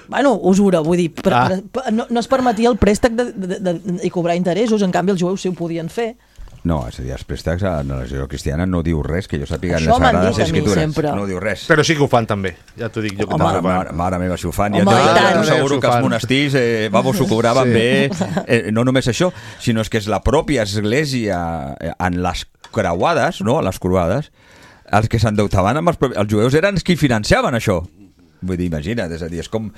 Bueno, usura, vull dir, no es permetia el préstec i cobrar interessos, en canvi els jueus sí ho podien fer. No, és a dir, els préstecs a la religió cristiana no diu res, que jo sàpiga en les Sagrades Escritures. No diu res. Però sí que ho fan també, ja t'ho dic jo. Mare meva, si ho fan. Jo asseguro que els monestirs, s'ho cobraven bé. No només això, sinó que és la pròpia església en les creuades, no?, a les croades, els que s'endeutaven amb els jueus eren els que financiaven això. Vull dir, imagina't, és a dir, és com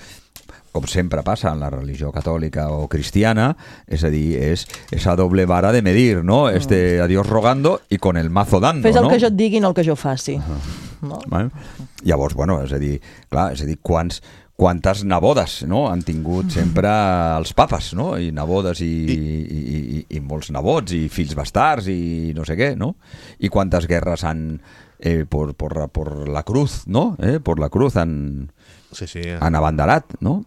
sempre passa en la religió catòlica o cristiana, és a dir, és a doble vara de medir, no? A Dios rogando y con el mazo dando, Fes el no? que jo et digui, no el que jo faci. No? Llavors, bueno, és a dir, quantes nebodes, no?, han tingut sempre els papes, no?, i nebodes i molts nebots i fills bastards i no sé què, no? I quantes guerres han... por la cruz, ¿no? Por la cruz han abanderat, ¿no?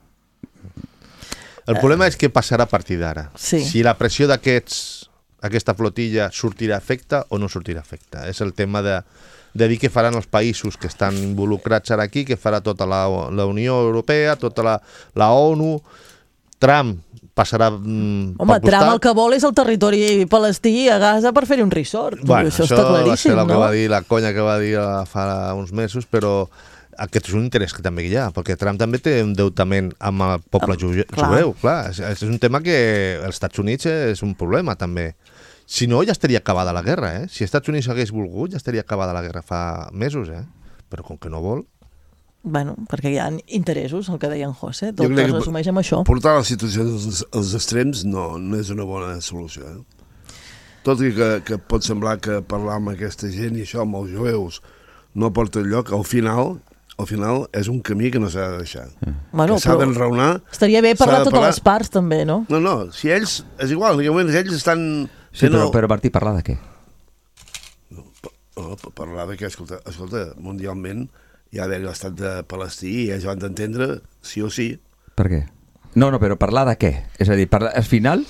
El problema és què passarà a partir d'ara. Sí. Si la pressió d'aquesta flotilla sortirà a efecte o no sortirà a efecte. És el tema de dir què faran els països que estan involucrats ara aquí, què farà tota la Unió Europea, tota la ONU, Trump passarà Home, Trump el que vol és el territori palestí a Gaza per fer-hi un resort. Bueno, això està claríssim, no? No? Que va dir, la conya que va dir fa uns mesos, però aquest és un interès que també hi ha, perquè Trump també té un deutament amb el poble jueu. Clar, és un tema que als Estats Units és un problema també. Si no, ja estaria acabada la guerra, eh? Si els Estats Units hagués volgut, ja estaria acabada la guerra fa mesos, eh? Però com que no vol... Bueno, perquè hi ha interessos, el que deia en José, tot es resumeix amb això. Portar la situació als extrems no és una bona solució. Tot i que pot semblar que parlar amb aquesta gent i això, amb els jueus, no porta enlloc, al final és un camí que no s'ha de deixar. Bueno, que s'ha d'enraonar. Estaria bé parlar totes les parts, també, no? No, si ells, és igual, en aquell moment ells estan... Sí, però Martí, parlar de què? No, parlar de què? Escolta, mundialment hi ha d'haver l'estat de Palestí i ells van d'entendre sí o sí. Per què? No, però parlar de què? És a dir, al final,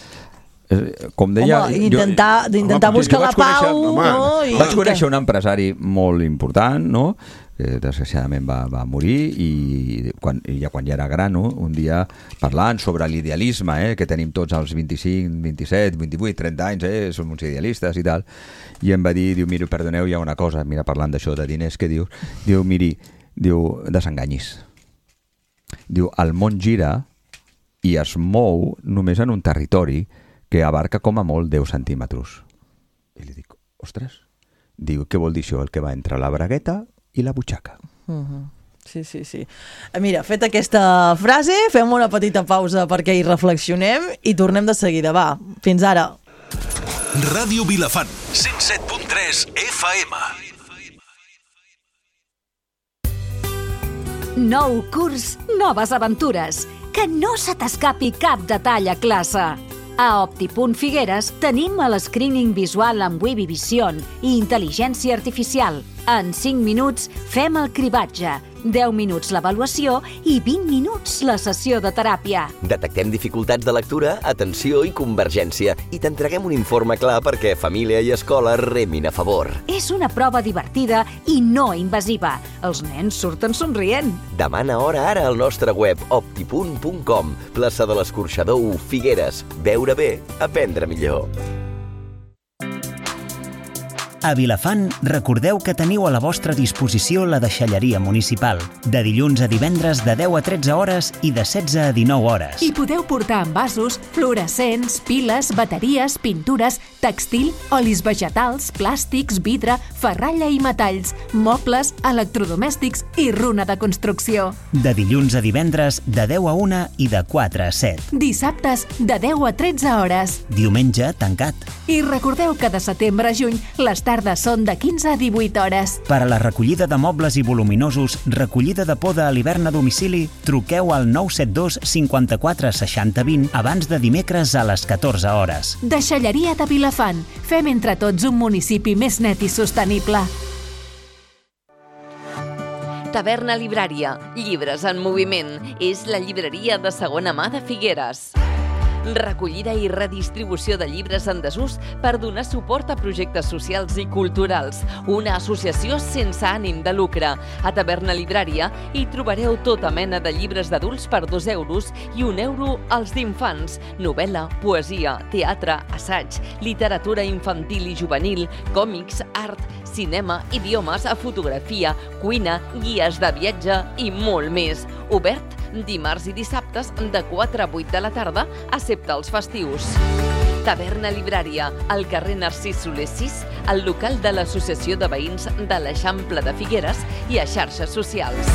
com deia... Home, intentar buscar la pau... Vaig conèixer un empresari molt important, no?, que desgraciadament va morir i quan ja era gran, no?, un dia parlant sobre l'idealisme, que tenim tots als 25, 27, 28, 30 anys, som uns idealistes i tal, i em va dir, mira, perdoneu, hi ha una cosa, mira, parlant d'això de diners, que diu, miri, desenganyis. Diu, el món gira i es mou només en un territori que abarca com a molt 10 centímetres. I li dic, ostres, diu, què vol dir això? El que va entre la bragueta i la butxaca. Sí. Mira, feta aquesta frase, fem una petita pausa perquè hi reflexionem i tornem de seguida. Va, fins ara. Ràdio Vilafant, 107.3 FM. Nou curs, noves aventures. Que no se t'escapi cap detall a classe. A Opti.Figueres tenim el screening visual amb Webby Vision i intel·ligència artificial. En 5 minuts fem el cribatge, 10 minuts l'avaluació i 20 minuts la sessió de teràpia. Detectem dificultats de lectura, atenció i convergència i t'entreguem un informe clar perquè família i escola remin a favor. És una prova divertida i no invasiva. Els nens surten somrient. Demana hora ara al nostre web opti.com, plaça de l'Escorxador 1, Figueres. Veure bé, aprendre millor. A Vilafant, recordeu que teniu a la vostra disposició la deixalleria municipal, de dilluns a divendres de 10 a 13 hores i de 16 a 19 hores. I podeu portar envasos, fluorescents, piles, bateries, pintures, textil, olis vegetals, plàstics, vidre, ferralla i metalls, mobles, electrodomèstics i runa de construcció. De dilluns a divendres de 10 a 1 i de 4 a 7. Dissabtes de 10 a 13 hores. Diumenge tancat. I recordeu que de setembre a juny les tardes són de 15 a 18 hores. Per a la recollida de mobles i voluminosos, recollida de poda a l'hivern a domicili, truqueu al 972 54 60 20 abans de dimecres a les 14 hores. Deixalleria de Vilafant. Fem entre tots un municipi més net i sostenible. Taverna Librària, llibres en moviment. És la llibreria de segona mà de Figueres. Recollida i redistribució de llibres en desús per donar suport a projectes socials i culturals. Una associació sense ànim de lucre. A Taverna Librària hi trobareu tota mena de llibres d'adults per 2 euros i 1 euro als d'infants. Novel·la, poesia, teatre, assaig, literatura infantil i juvenil, còmics, art, cinema, idiomes, fotografia, cuina, guies de viatge i molt més. Obert dimarts i dissabtes de 4 a 8 de la tarda, excepte els festius. Taverna Librària, al carrer Narcís Soler 6, al local de l'Associació de Veïns de l'Eixample de Figueres i a xarxes socials.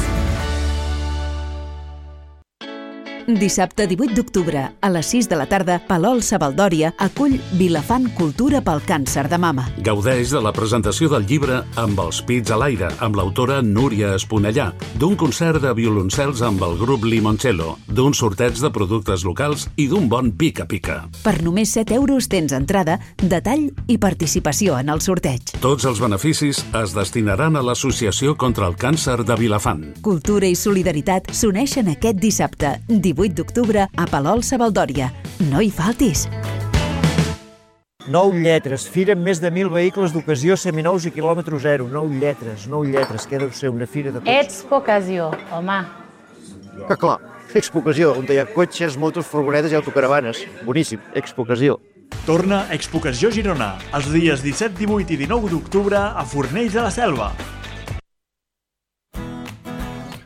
Dissabte 18 d'octubre, a les 6 de la tarda, Palol Sabaldòria acull Vilafant Cultura pel càncer de mama. Gaudeix de la presentació del llibre Amb els pits a l'aire, amb l'autora Núria Esponellà, d'un concert de violoncels amb el grup Limoncello, d'un sorteig de productes locals i d'un bon pica-pica. Per només 7 euros tens entrada, detall i participació en el sorteig. Tots els beneficis es destinaran a l'Associació contra el Càncer de Vilafant. Cultura i solidaritat s'uneixen aquest dissabte, 18 d'octubre, a Palol Sabaldòria. No hi faltis! 9 lletres, fira amb més de 1.000 vehicles d'ocasió seminous i quilòmetre zero. 9 lletres, que deu ser una fira de cotxes. Expo Ocasió, home. Que clar, Expo Ocasió, on hi ha cotxes, motos, furgonetes i autocaravanes. Boníssim, Expo Ocasió. Torna Expo Ocasió Girona, els dies 17, 18 i 19 d'octubre a Fornells de la Selva.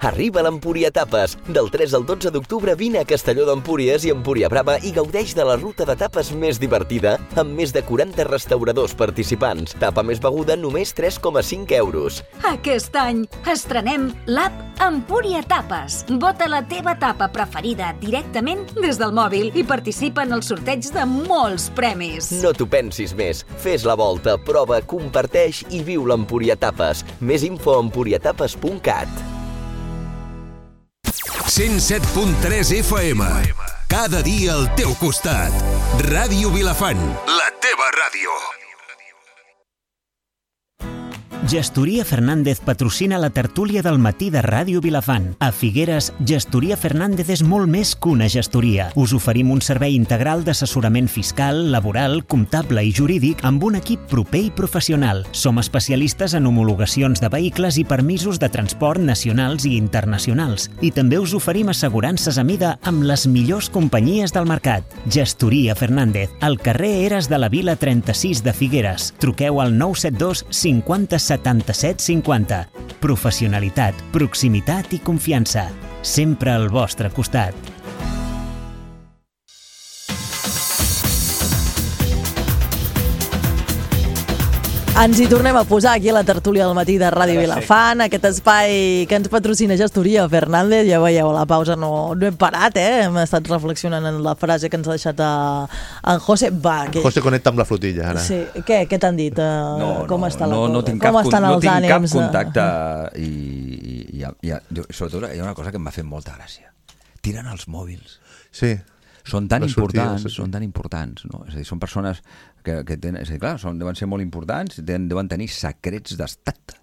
Arriba l'Empúria Tapes. Del 3 al 12 d'octubre vine a Castelló d'Empúries i Empúria Brava i gaudeix de la ruta de tapes més divertida amb més de 40 restauradors participants. Tapa més beguda només 3,5 euros. Aquest any estrenem l'app Empúria Tapes. Vota la teva tapa preferida directament des del mòbil i participa en el sorteig de molts premis. No t'ho pensis més. Fes la volta, prova, comparteix i viu l'Empúria Tapes. Més info a empuriatapes.cat. 107.3 FM. Cada dia al teu costat. Ràdio Vilafant, la teva ràdio. Gestoria Fernández patrocina la tertúlia del matí de Ràdio Vilafant. A Figueres, Gestoria Fernández és molt més que una gestoria. Us oferim un servei integral d'assessorament fiscal, laboral, comptable i jurídic amb un equip proper i professional. Som especialistes en homologacions de vehicles i permisos de transport nacionals i internacionals. I també us oferim assegurances a mida amb les millors companyies del mercat. Gestoria Fernández, al carrer Eres de la Vila 36 de Figueres. Truqueu al 972 50 77 50. Professionalitat, proximitat i confiança. Sempre al vostre costat. Ens hi tornem a posar aquí a la tertúlia del matí de Ràdio Vilafant, aquest espai que ens patrocina Gestoria Fernández. Ja veieu, a la pausa no hem parat, hem estat reflexionant en la frase que ens ha deixat en José. José connecta amb la flotilla, ara. Sí. Què t'han dit? Com està la cosa? No tinc cap contacte i sobretot hi ha una cosa que em va fer molta gràcia. tiren els mòbils. Sí. Són tan importants, no? És a dir, són persones que tenen... És a dir, clar, deuen ser molt importants, deuen tenir secrets d'estat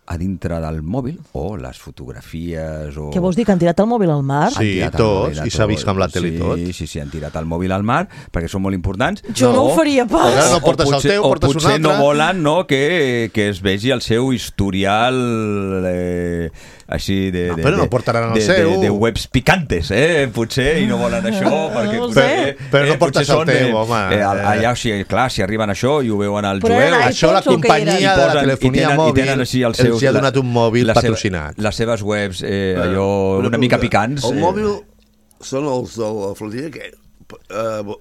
a dintre del mòbil, o les fotografies... Què vols dir, que han tirat el mòbil al mar? Sí, tots, i s'ha vist amb la tele i tot. Sí, han tirat el mòbil al mar, perquè són molt importants. Jo no ho faria pas. No portes el teu, portes un altre. O potser no volen que es vegi el seu historial així de... Però no portaran el seu. De webs picantes, potser, i no volen això, però no portes el teu, home. Allà, clar, si arriben això i ho veuen al jueu... Això la companyia de la telefonia mòbil els ha donat un mòbil patrocinat. Les seves webs, allò una mica picants. El mòbil són els de la flotilla que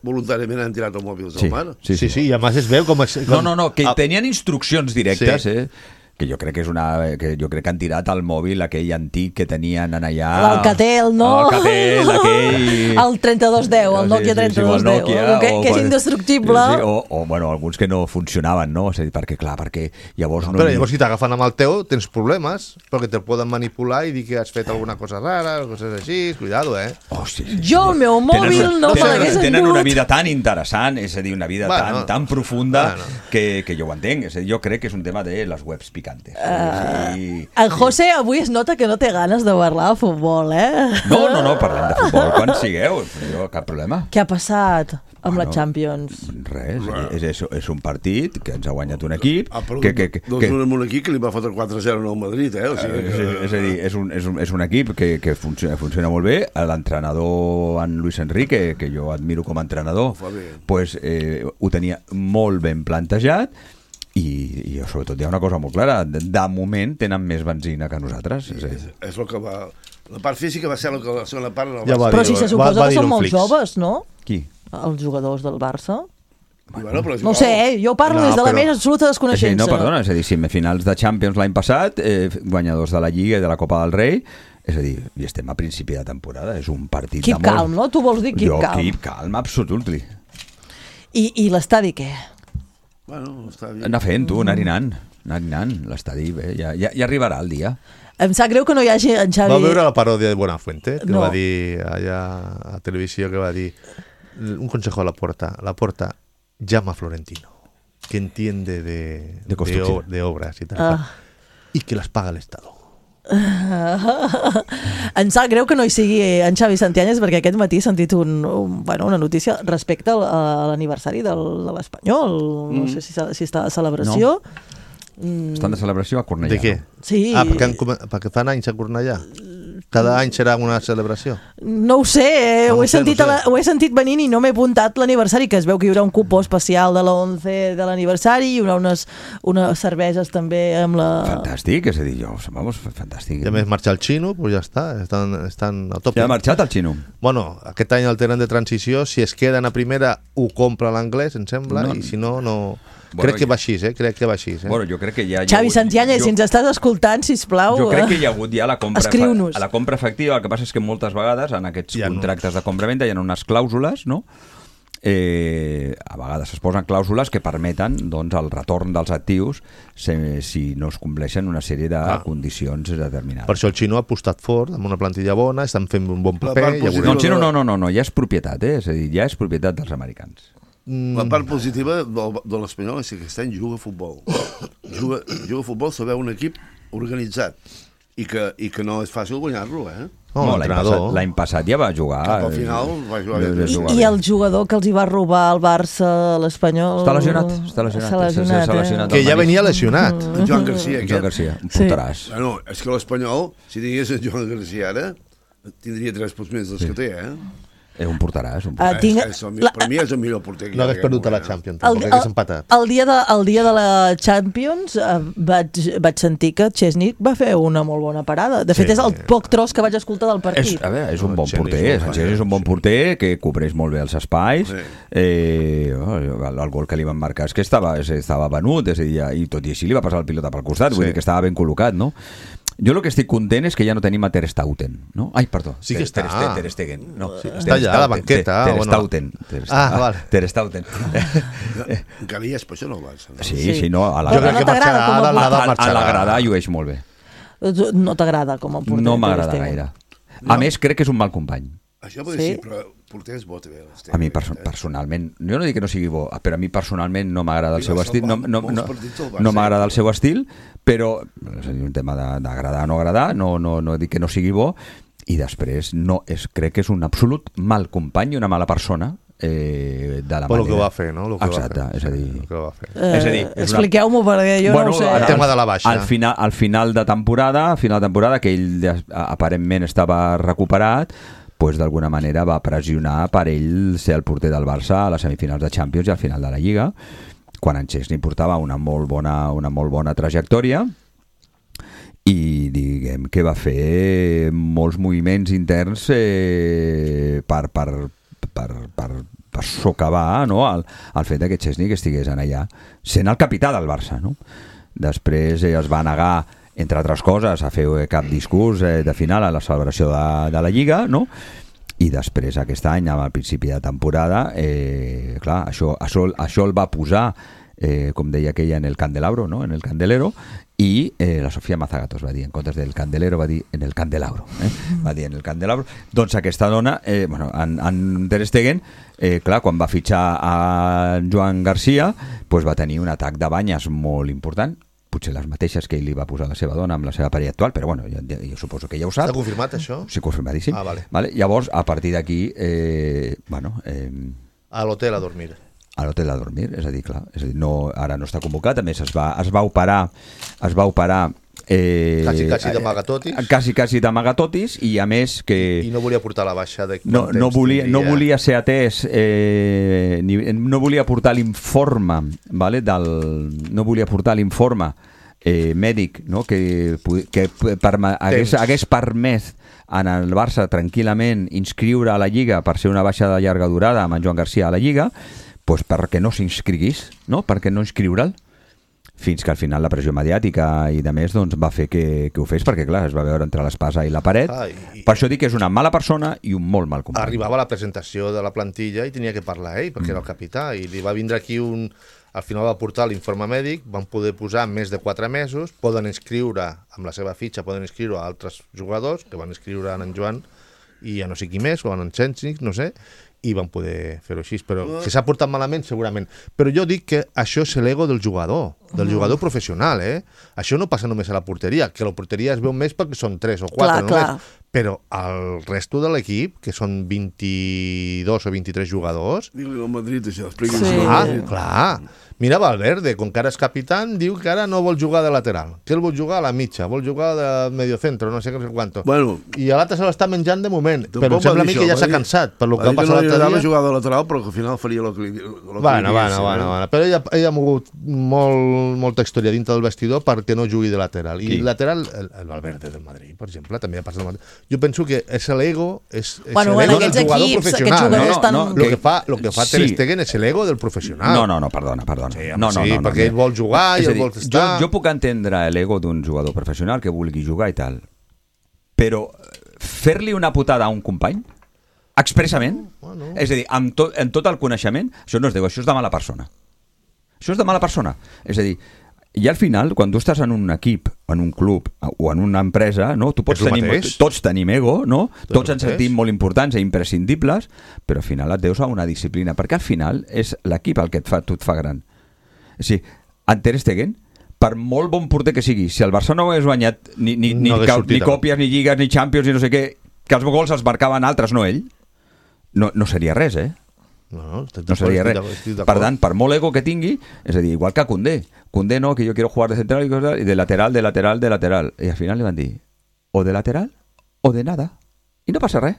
voluntàriament han tirat el mòbil al mar. Sí, i a més es veu com... No, que tenien instruccions directes, que jo crec que han tirat el mòbil aquell antic que tenien allà... L'Alcatel, no? L'Alcatel, aquell... El 3210, el Nokia 3210, que és indestructible. O alguns que no funcionaven, no? És a dir, perquè llavors... Però llavors si t'agafen amb el teu tens problemes, perquè te'l poden manipular i dir que has fet alguna cosa rara, coses així, cuidado, Jo el meu mòbil no me l'hagués endut. Tenen una vida tan interessant, és a dir, una vida tan profunda, que jo ho entenc. És a dir, jo crec que és un tema de les webs picantes. En José avui es nota que no té ganes de parlar de futbol, No, parlem de futbol quan sigueu, jo cap problema. Què ha passat amb la Champions? Res, és un partit que ens ha guanyat un equip un equip que li va fotre 4-0 al Madrid, És a dir, és un equip que funciona molt bé. L'entrenador, en Luis Enrique, que jo admiro com a entrenador, ho tenia molt ben plantejat. I sobretot hi ha una cosa molt clara, de moment tenen més benzina que nosaltres. És el que va... La part física va ser la segona part. Però si se suposa que són molt joves, no? Qui? Els jugadors del Barça. No ho sé, jo parlo des de la més absoluta desconeixença. No, perdona, és a dir, semifinals de Champions l'any passat, guanyadors de la Lliga i de la Copa del Rei, és a dir, i estem a principi de temporada, és un partit de molt... Keep calm, no? Tu vols dir keep calm. Keep calm, absolutely. I l'estadi què? Anar fent, anar-hi l'estadi, bé, ja arribarà el dia. Em sap greu que no hi hagi en Xavi... Va veure la paròdia de Buenafuente, que va dir allà a televisió, que va dir un consejo a la Porta, llama a Florentino, que entiende de obras y tal, y que las paga el Estado. Em sap greu que no hi sigui en Xavi Santianyes, perquè aquest matí he sentit una notícia respecte a l'aniversari de l'Espanyol. No sé si està de celebració. Estan de celebració a Cornellà. De què? Sí. Perquè fan anys a Cornellà. Cada any serà una celebració? No ho sé, ho he sentit venint i no m'he apuntat l'aniversari, que es veu que hi haurà un cupó especial de l'11 de l'aniversari, hi haurà unes cerveses també amb la... Fantàstic, és a dir, fantàstic. I a més marxa el Xino, doncs ja està, estan al top. Ja ha marxat el Xino? Bueno, aquest any el tenen de transició, si es queden a primera ho compra l'anglès, em sembla, i si no... Crec que va així, crec que va així. Bueno, jo crec que ja... Xavi Santianyes, si ens estàs escoltant, sisplau... Jo crec que hi ha hagut ja la compra... Escriu-nos. La compra efectiva, el que passa és que moltes vegades en aquests contractes de compra-venda hi ha unes clàusules, no? A vegades es posen clàusules que permeten el retorn dels actius si no es compleixen una sèrie de condicions determinades. Per això el Xino ha apostat fort, amb una plantilla bona, estan fent un bon paper... No, el Xino no, ja és propietat, és a dir, ja és propietat dels americans. La part positiva de l'Espanyol és que aquest any juga a futbol. Juga a futbol, saber un equip organitzat i que no és fàcil guanyar-lo, No, l'any passat ja va jugar. Cap al final va jugar. I el jugador que els hi va robar al Barça, l'Espanyol... Està lesionat. Que ja venia lesionat. Joan Garcia, un porteràs. És que l'Espanyol, si tingués en Joan Garcia ara, tindria 3 punts més dels que té, Un porteràs. Per mi és el millor porter que hi ha. No hagués perdut a la Champions, hagués empatat. El dia de la Champions vaig sentir que Chesney va fer una molt bona parada. De fet, és el poc tros que vaig escoltar del partit. És un bon porter. És un bon porter que cobreix molt bé els espais. El gol que li van marcar és que estava venut, i tot i així li va passar el pilota pel costat, vull dir que estava ben col·locat, no? Jo el que estic content és que ja no tenim a Ter Stegen, no? Ai, perdó. Sí que està. Ter Stegen. No, està allà a la banqueta. Ter Stegen. Ter Stegen. Encara hi és, per això no el Barça. Sí, no. A la grada llueix molt bé. No t'agrada com a porter? No m'agrada gaire. A més, crec que és un mal company. Això pot ser, però porter és bo, també. A mi personalment, jo no dic que no sigui bo, però a mi personalment no m'agrada el seu estil, no m'agrada el seu estil, però és un tema d'agradar o no agradar, no dic que no sigui bo, i després crec que és un absolut mal company i una mala persona de la manera. El que va fer, no? Exacte, és a dir... Expliqueu-m'ho, perquè jo no ho sé. El tema de la baixa. Al final de temporada, que ell aparentment estava recuperat, pues d'alguna manera va pressionar per ell ser el porter del Barça a les semifinals de Champions i al final de la Lliga, quan en Chesney portava una molt bona trajectòria, i diguem que va fer molts moviments interns per socavar, no, el fet que Chesney que estigués allà sent el capità del Barça, no? Després es va negar, entre altres coses, a fer cap discurs de final a la celebració de la Lliga, no? I després aquest any, al principi de temporada, clar, això el va posar, com deia aquella, en el candelabro, no? En el candelero, i la Sofía Mazagatos va dir, en comptes del candelero va dir en el candelabro, va dir en el candelabro. Doncs aquesta dona, en Ter Stegen, clar, quan va fitxar a Joan Garcia, pues va tenir un atac de banyes molt important, potser les mateixes que ell li va posar la seva dona amb la seva parella actual, però bueno, jo suposo que ja ho sap. Està confirmat, això? Sí, confirmadíssim. Vale. Llavors, a partir d'aquí, a l'hotel a dormir. A l'hotel a dormir, és a dir, clar, ara no està convocat, a més es va operar quasi d'amagatotis. Quasi d'amagatotis, i a més que... I no volia portar la baixa de no volia ser atès, no volia portar l'informe, vale, no volia portar l'informe mèdic, no, que hagués permès en el Barça tranquil·lament inscriure a la Lliga per ser una baixa de llarga durada amb en Joan Garcia a la Lliga, pues perquè no s'inscriguís, no? Perquè no inscriure'l, fins que al final la pressió mediàtica i de més doncs, va fer que ho fes, perquè clar, es va veure entre l'espasa i la paret. Per això dic que és una mala persona i un molt mal company. Arribava a la presentació de la plantilla i tenia que parlar ell, perquè era el capità, i li va vindre aquí al final va portar l'informe mèdic, van poder posar més de 4 mesos, poden inscriure amb la seva fitxa, poden inscriure a altres jugadors, que van inscriure en Joan i a no sé qui més, o en Chesney, no sé, i van poder fer-ho així, però que s'ha portat malament segurament, però jo dic que això és l'ego del jugador professional, això no passa només a la porteria, que la porteria es veu més perquè són 3 o 4 només, però el resto de l'equip, que són 22 o 23 jugadors... Digue-li al Madrid, això, expliqui. Clar. Mira Valverde, com que ara és capità, diu que ara no vol jugar de lateral, que ell vol jugar a la mitja, vol jugar de mediocentro, no sé quanto. I l'altre se l'està menjant de moment, però sembla a mi que ja s'ha cansat per lo que va passar l'altre dia. No jugar de lateral, però que al final faria el que Bueno. Però ella ha mogut molta història dintre del vestidor perquè no jugui de lateral. I lateral, el Valverde del Madrid, per exemple, també ha passat el mateix. Jo penso que és l'ego, és l'ego del jugador professional. Lo que fa Ter Stegen és l'ego del professional. No, perdona. Sí, perquè ell vol jugar i ell vol estar... Jo puc entendre l'ego d'un jugador professional que vulgui jugar i tal, però fer-li una putada a un company expressament, és a dir, amb tot el coneixement, això no es diu, això és de mala persona. Això és de mala persona. És a dir, i al final, quan tu estàs en un equip, en un club o en una empresa, no? Tots tenim ego, no? Tots ens sentim molt importants i imprescindibles, però al final et deus a una disciplina, perquè al final és l'equip el que tu et fa gran. És a dir, en Ter Stegen, per molt bon porter que sigui, si el Barça no hagués guanyat ni còpies, ni lligues, ni Champions, ni no sé què, que els gols els marcaven altres, no ell, no seria res, No seria res. Per tant, per molt ego que tingui, és a dir, igual que Koundé no, que jo quiero jugar de central y de lateral, i al final li van dir o de lateral o de nada, i no passa res.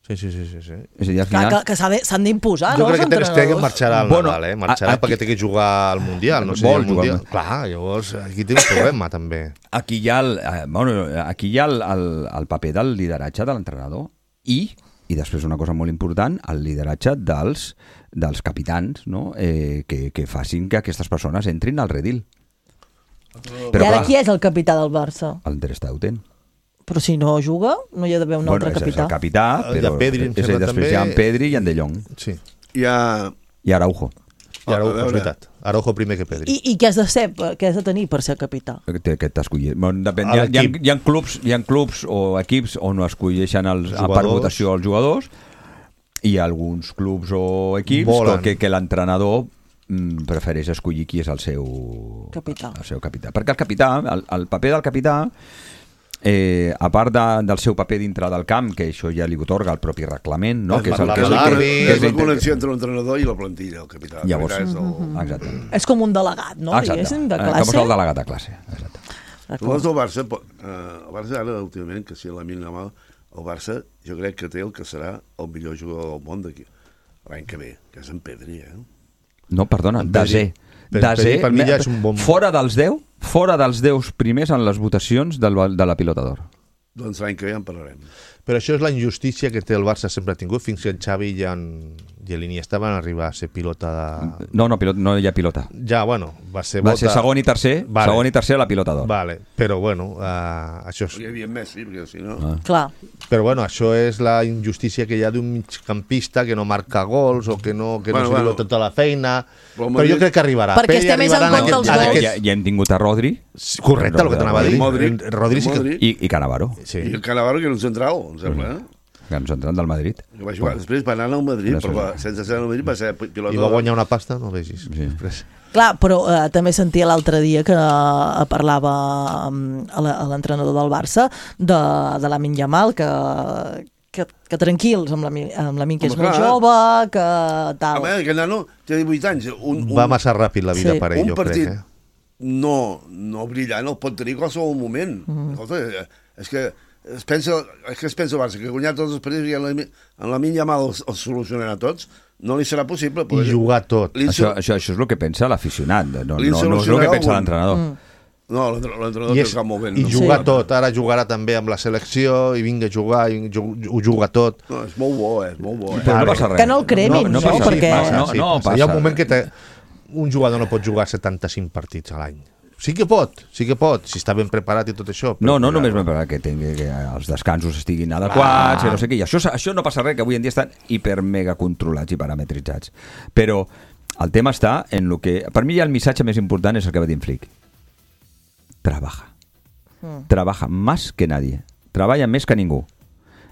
Sí. És a dir, al final... Que s'han d'imposar, no? Jo crec que Ter Stegen marxarà al Nadal, marxarà perquè té que jugar al Mundial, no sé, al Mundial. Clar, llavors aquí té un problema, també. Aquí hi ha el paper del lideratge de l'entrenador i després una cosa molt important, el lideratge dels capitans, no? Que facin que aquestes persones entrin al redil. I ara qui és el capità del Barça? El Ter Stegen. Però si no juga, no hi ha d'haver un altre capità. És el capità, però després hi ha en Pedri i en De Jong. Sí. I Araujo. I Araujo, és veritat. Araujo primer que Pedri. I què has de ser, què has de tenir per ser capità? Que t'escollir. Depèn. Hi ha clubs o equips on no escolleixen per votació els jugadors, i hi ha alguns clubs o equips que l'entrenador prefereix escollir qui és el seu capità. Perquè el capità, el paper del capità, a part del seu paper dintre del camp, que això ja li otorga el propi reglament, no? És la connexió entre l'entrenador i la plantilla, el capità. Llavors, exacte. És com un delegat, no? Diguéssim, de classe. Com és el delegat de classe, exacte. Tu vols del Barça, el Barça ara, últimament, que si Lamine Yamal, el Barça jo crec que té el que serà el millor jugador del món d'aquí l'any que ve, que és en Pedri, No, perdona, Desé. Per mi ja és un bon... Fora dels 10 primers en les votacions de la Pilota d'Or. Doncs l'any que ve en parlarem. Però això és la injustícia que té el Barça, sempre ha tingut, fins que en Xavi i l'Iniesta van arribar a ser pilota de... No hi ha pilota. Ja, bueno, va ser segon i tercer, segon i tercer a la Pilota d'Or. Vale, però bueno, això és... Hi havia Messi, perquè si no... Clar. Però bueno, això és la injustícia que hi ha d'un migcampista que no marca gols o que no diu tota la feina, però jo crec que arribarà. Perquè estem més en compte els gols. Ja hem tingut a Rodri. Correcte, el que t'anava a dir. Rodri i Cannavaro. I el Cannavaro que era un central, em sembla, que ens entren del Madrid. Després va anar al Madrid, però sense ser al Madrid va ser pilota. I va guanyar una pasta, no vegis. Clar, però també sentia l'altre dia que parlava l'entrenador del Barça de Lamine Yamal, que tranquils amb Lamine, que és molt jove, que tal. A veure, aquest nano té 18 anys. Va massa ràpid la vida per ell, jo crec. Un partit no brillant el pot tenir qualsevol moment. És que es pensa el Barça que guanyar tots els partits i en Lamine Yamal els solucionarà tots, no li serà possible. I jugar tot. Això és el que pensa l'aficionat, no és el que pensa l'entrenador. No, l'entrenador té el cap molt ben. I jugar tot, ara jugarà també amb la selecció i vinga a jugar, i ho juga tot. No, és molt bo, és molt bo. Però no passa res. Que no el cremin, no? Perquè... Hi ha un moment que un jugador no pot jugar 75 partits a l'any. Sí que pot, si està ben preparat i tot això. No només ben preparat, que els descansos estiguin adequats, no sé què. I això no passa res, que avui en dia estan hiper-mega controlats i parametritzats. Però el tema està en el que... Per mi ja el missatge més important és el que va dir en Flick. Trabaja más que nadie. Treballa més que ningú.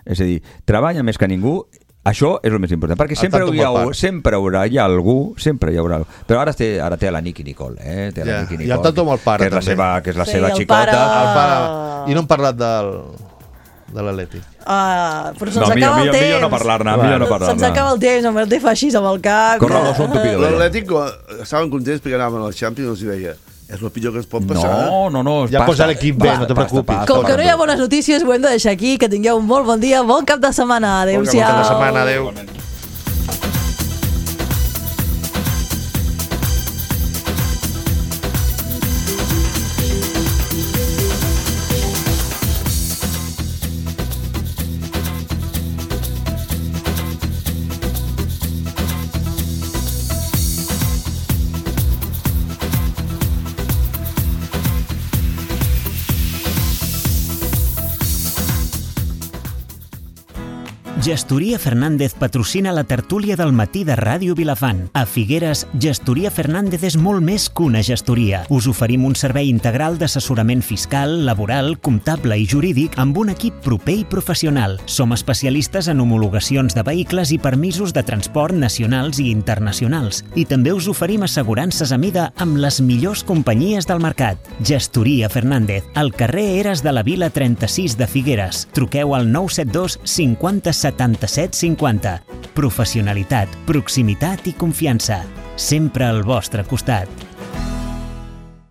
És a dir, treballa més que ningú. Això és el més important, perquè sempre hi haurà algú, però ara té la Nicky Nicole, té la Nicky Nicole, i el Tato amb el pare, que és la seva xicota. El pare. I no hem parlat de l'Atlètic. Però se'ns acaba el temps. Millor no parlar-ne. Se'ns acaba el temps, el té fa així amb el cap. L'Atlètic estaven contents perquè anaven als Champions i deia és el pitjor que es pot passar. No, ja posa l'equip bé, no te preocupis. Com que no hi ha bones notícies, ho hem de deixar aquí. Que tingueu un molt bon dia, bon cap de setmana. Adéu-siau. Bon cap de setmana, adéu. Gestoria Fernández patrocina la tertúlia del matí de Ràdio Vilafant. A Figueres, Gestoria Fernández és molt més que una gestoria. Us oferim un servei integral d'assessorament fiscal, laboral, comptable i jurídic amb un equip proper i professional. Som especialistes en homologacions de vehicles i permisos de transport nacionals i internacionals. I també us oferim assegurances a mida amb les millors companyies del mercat. Gestoria Fernández, al carrer Eres de la Vila 36 de Figueres. Truqueu al 972 50 77 50. Professionalitat, proximitat i confiança. Sempre al vostre costat.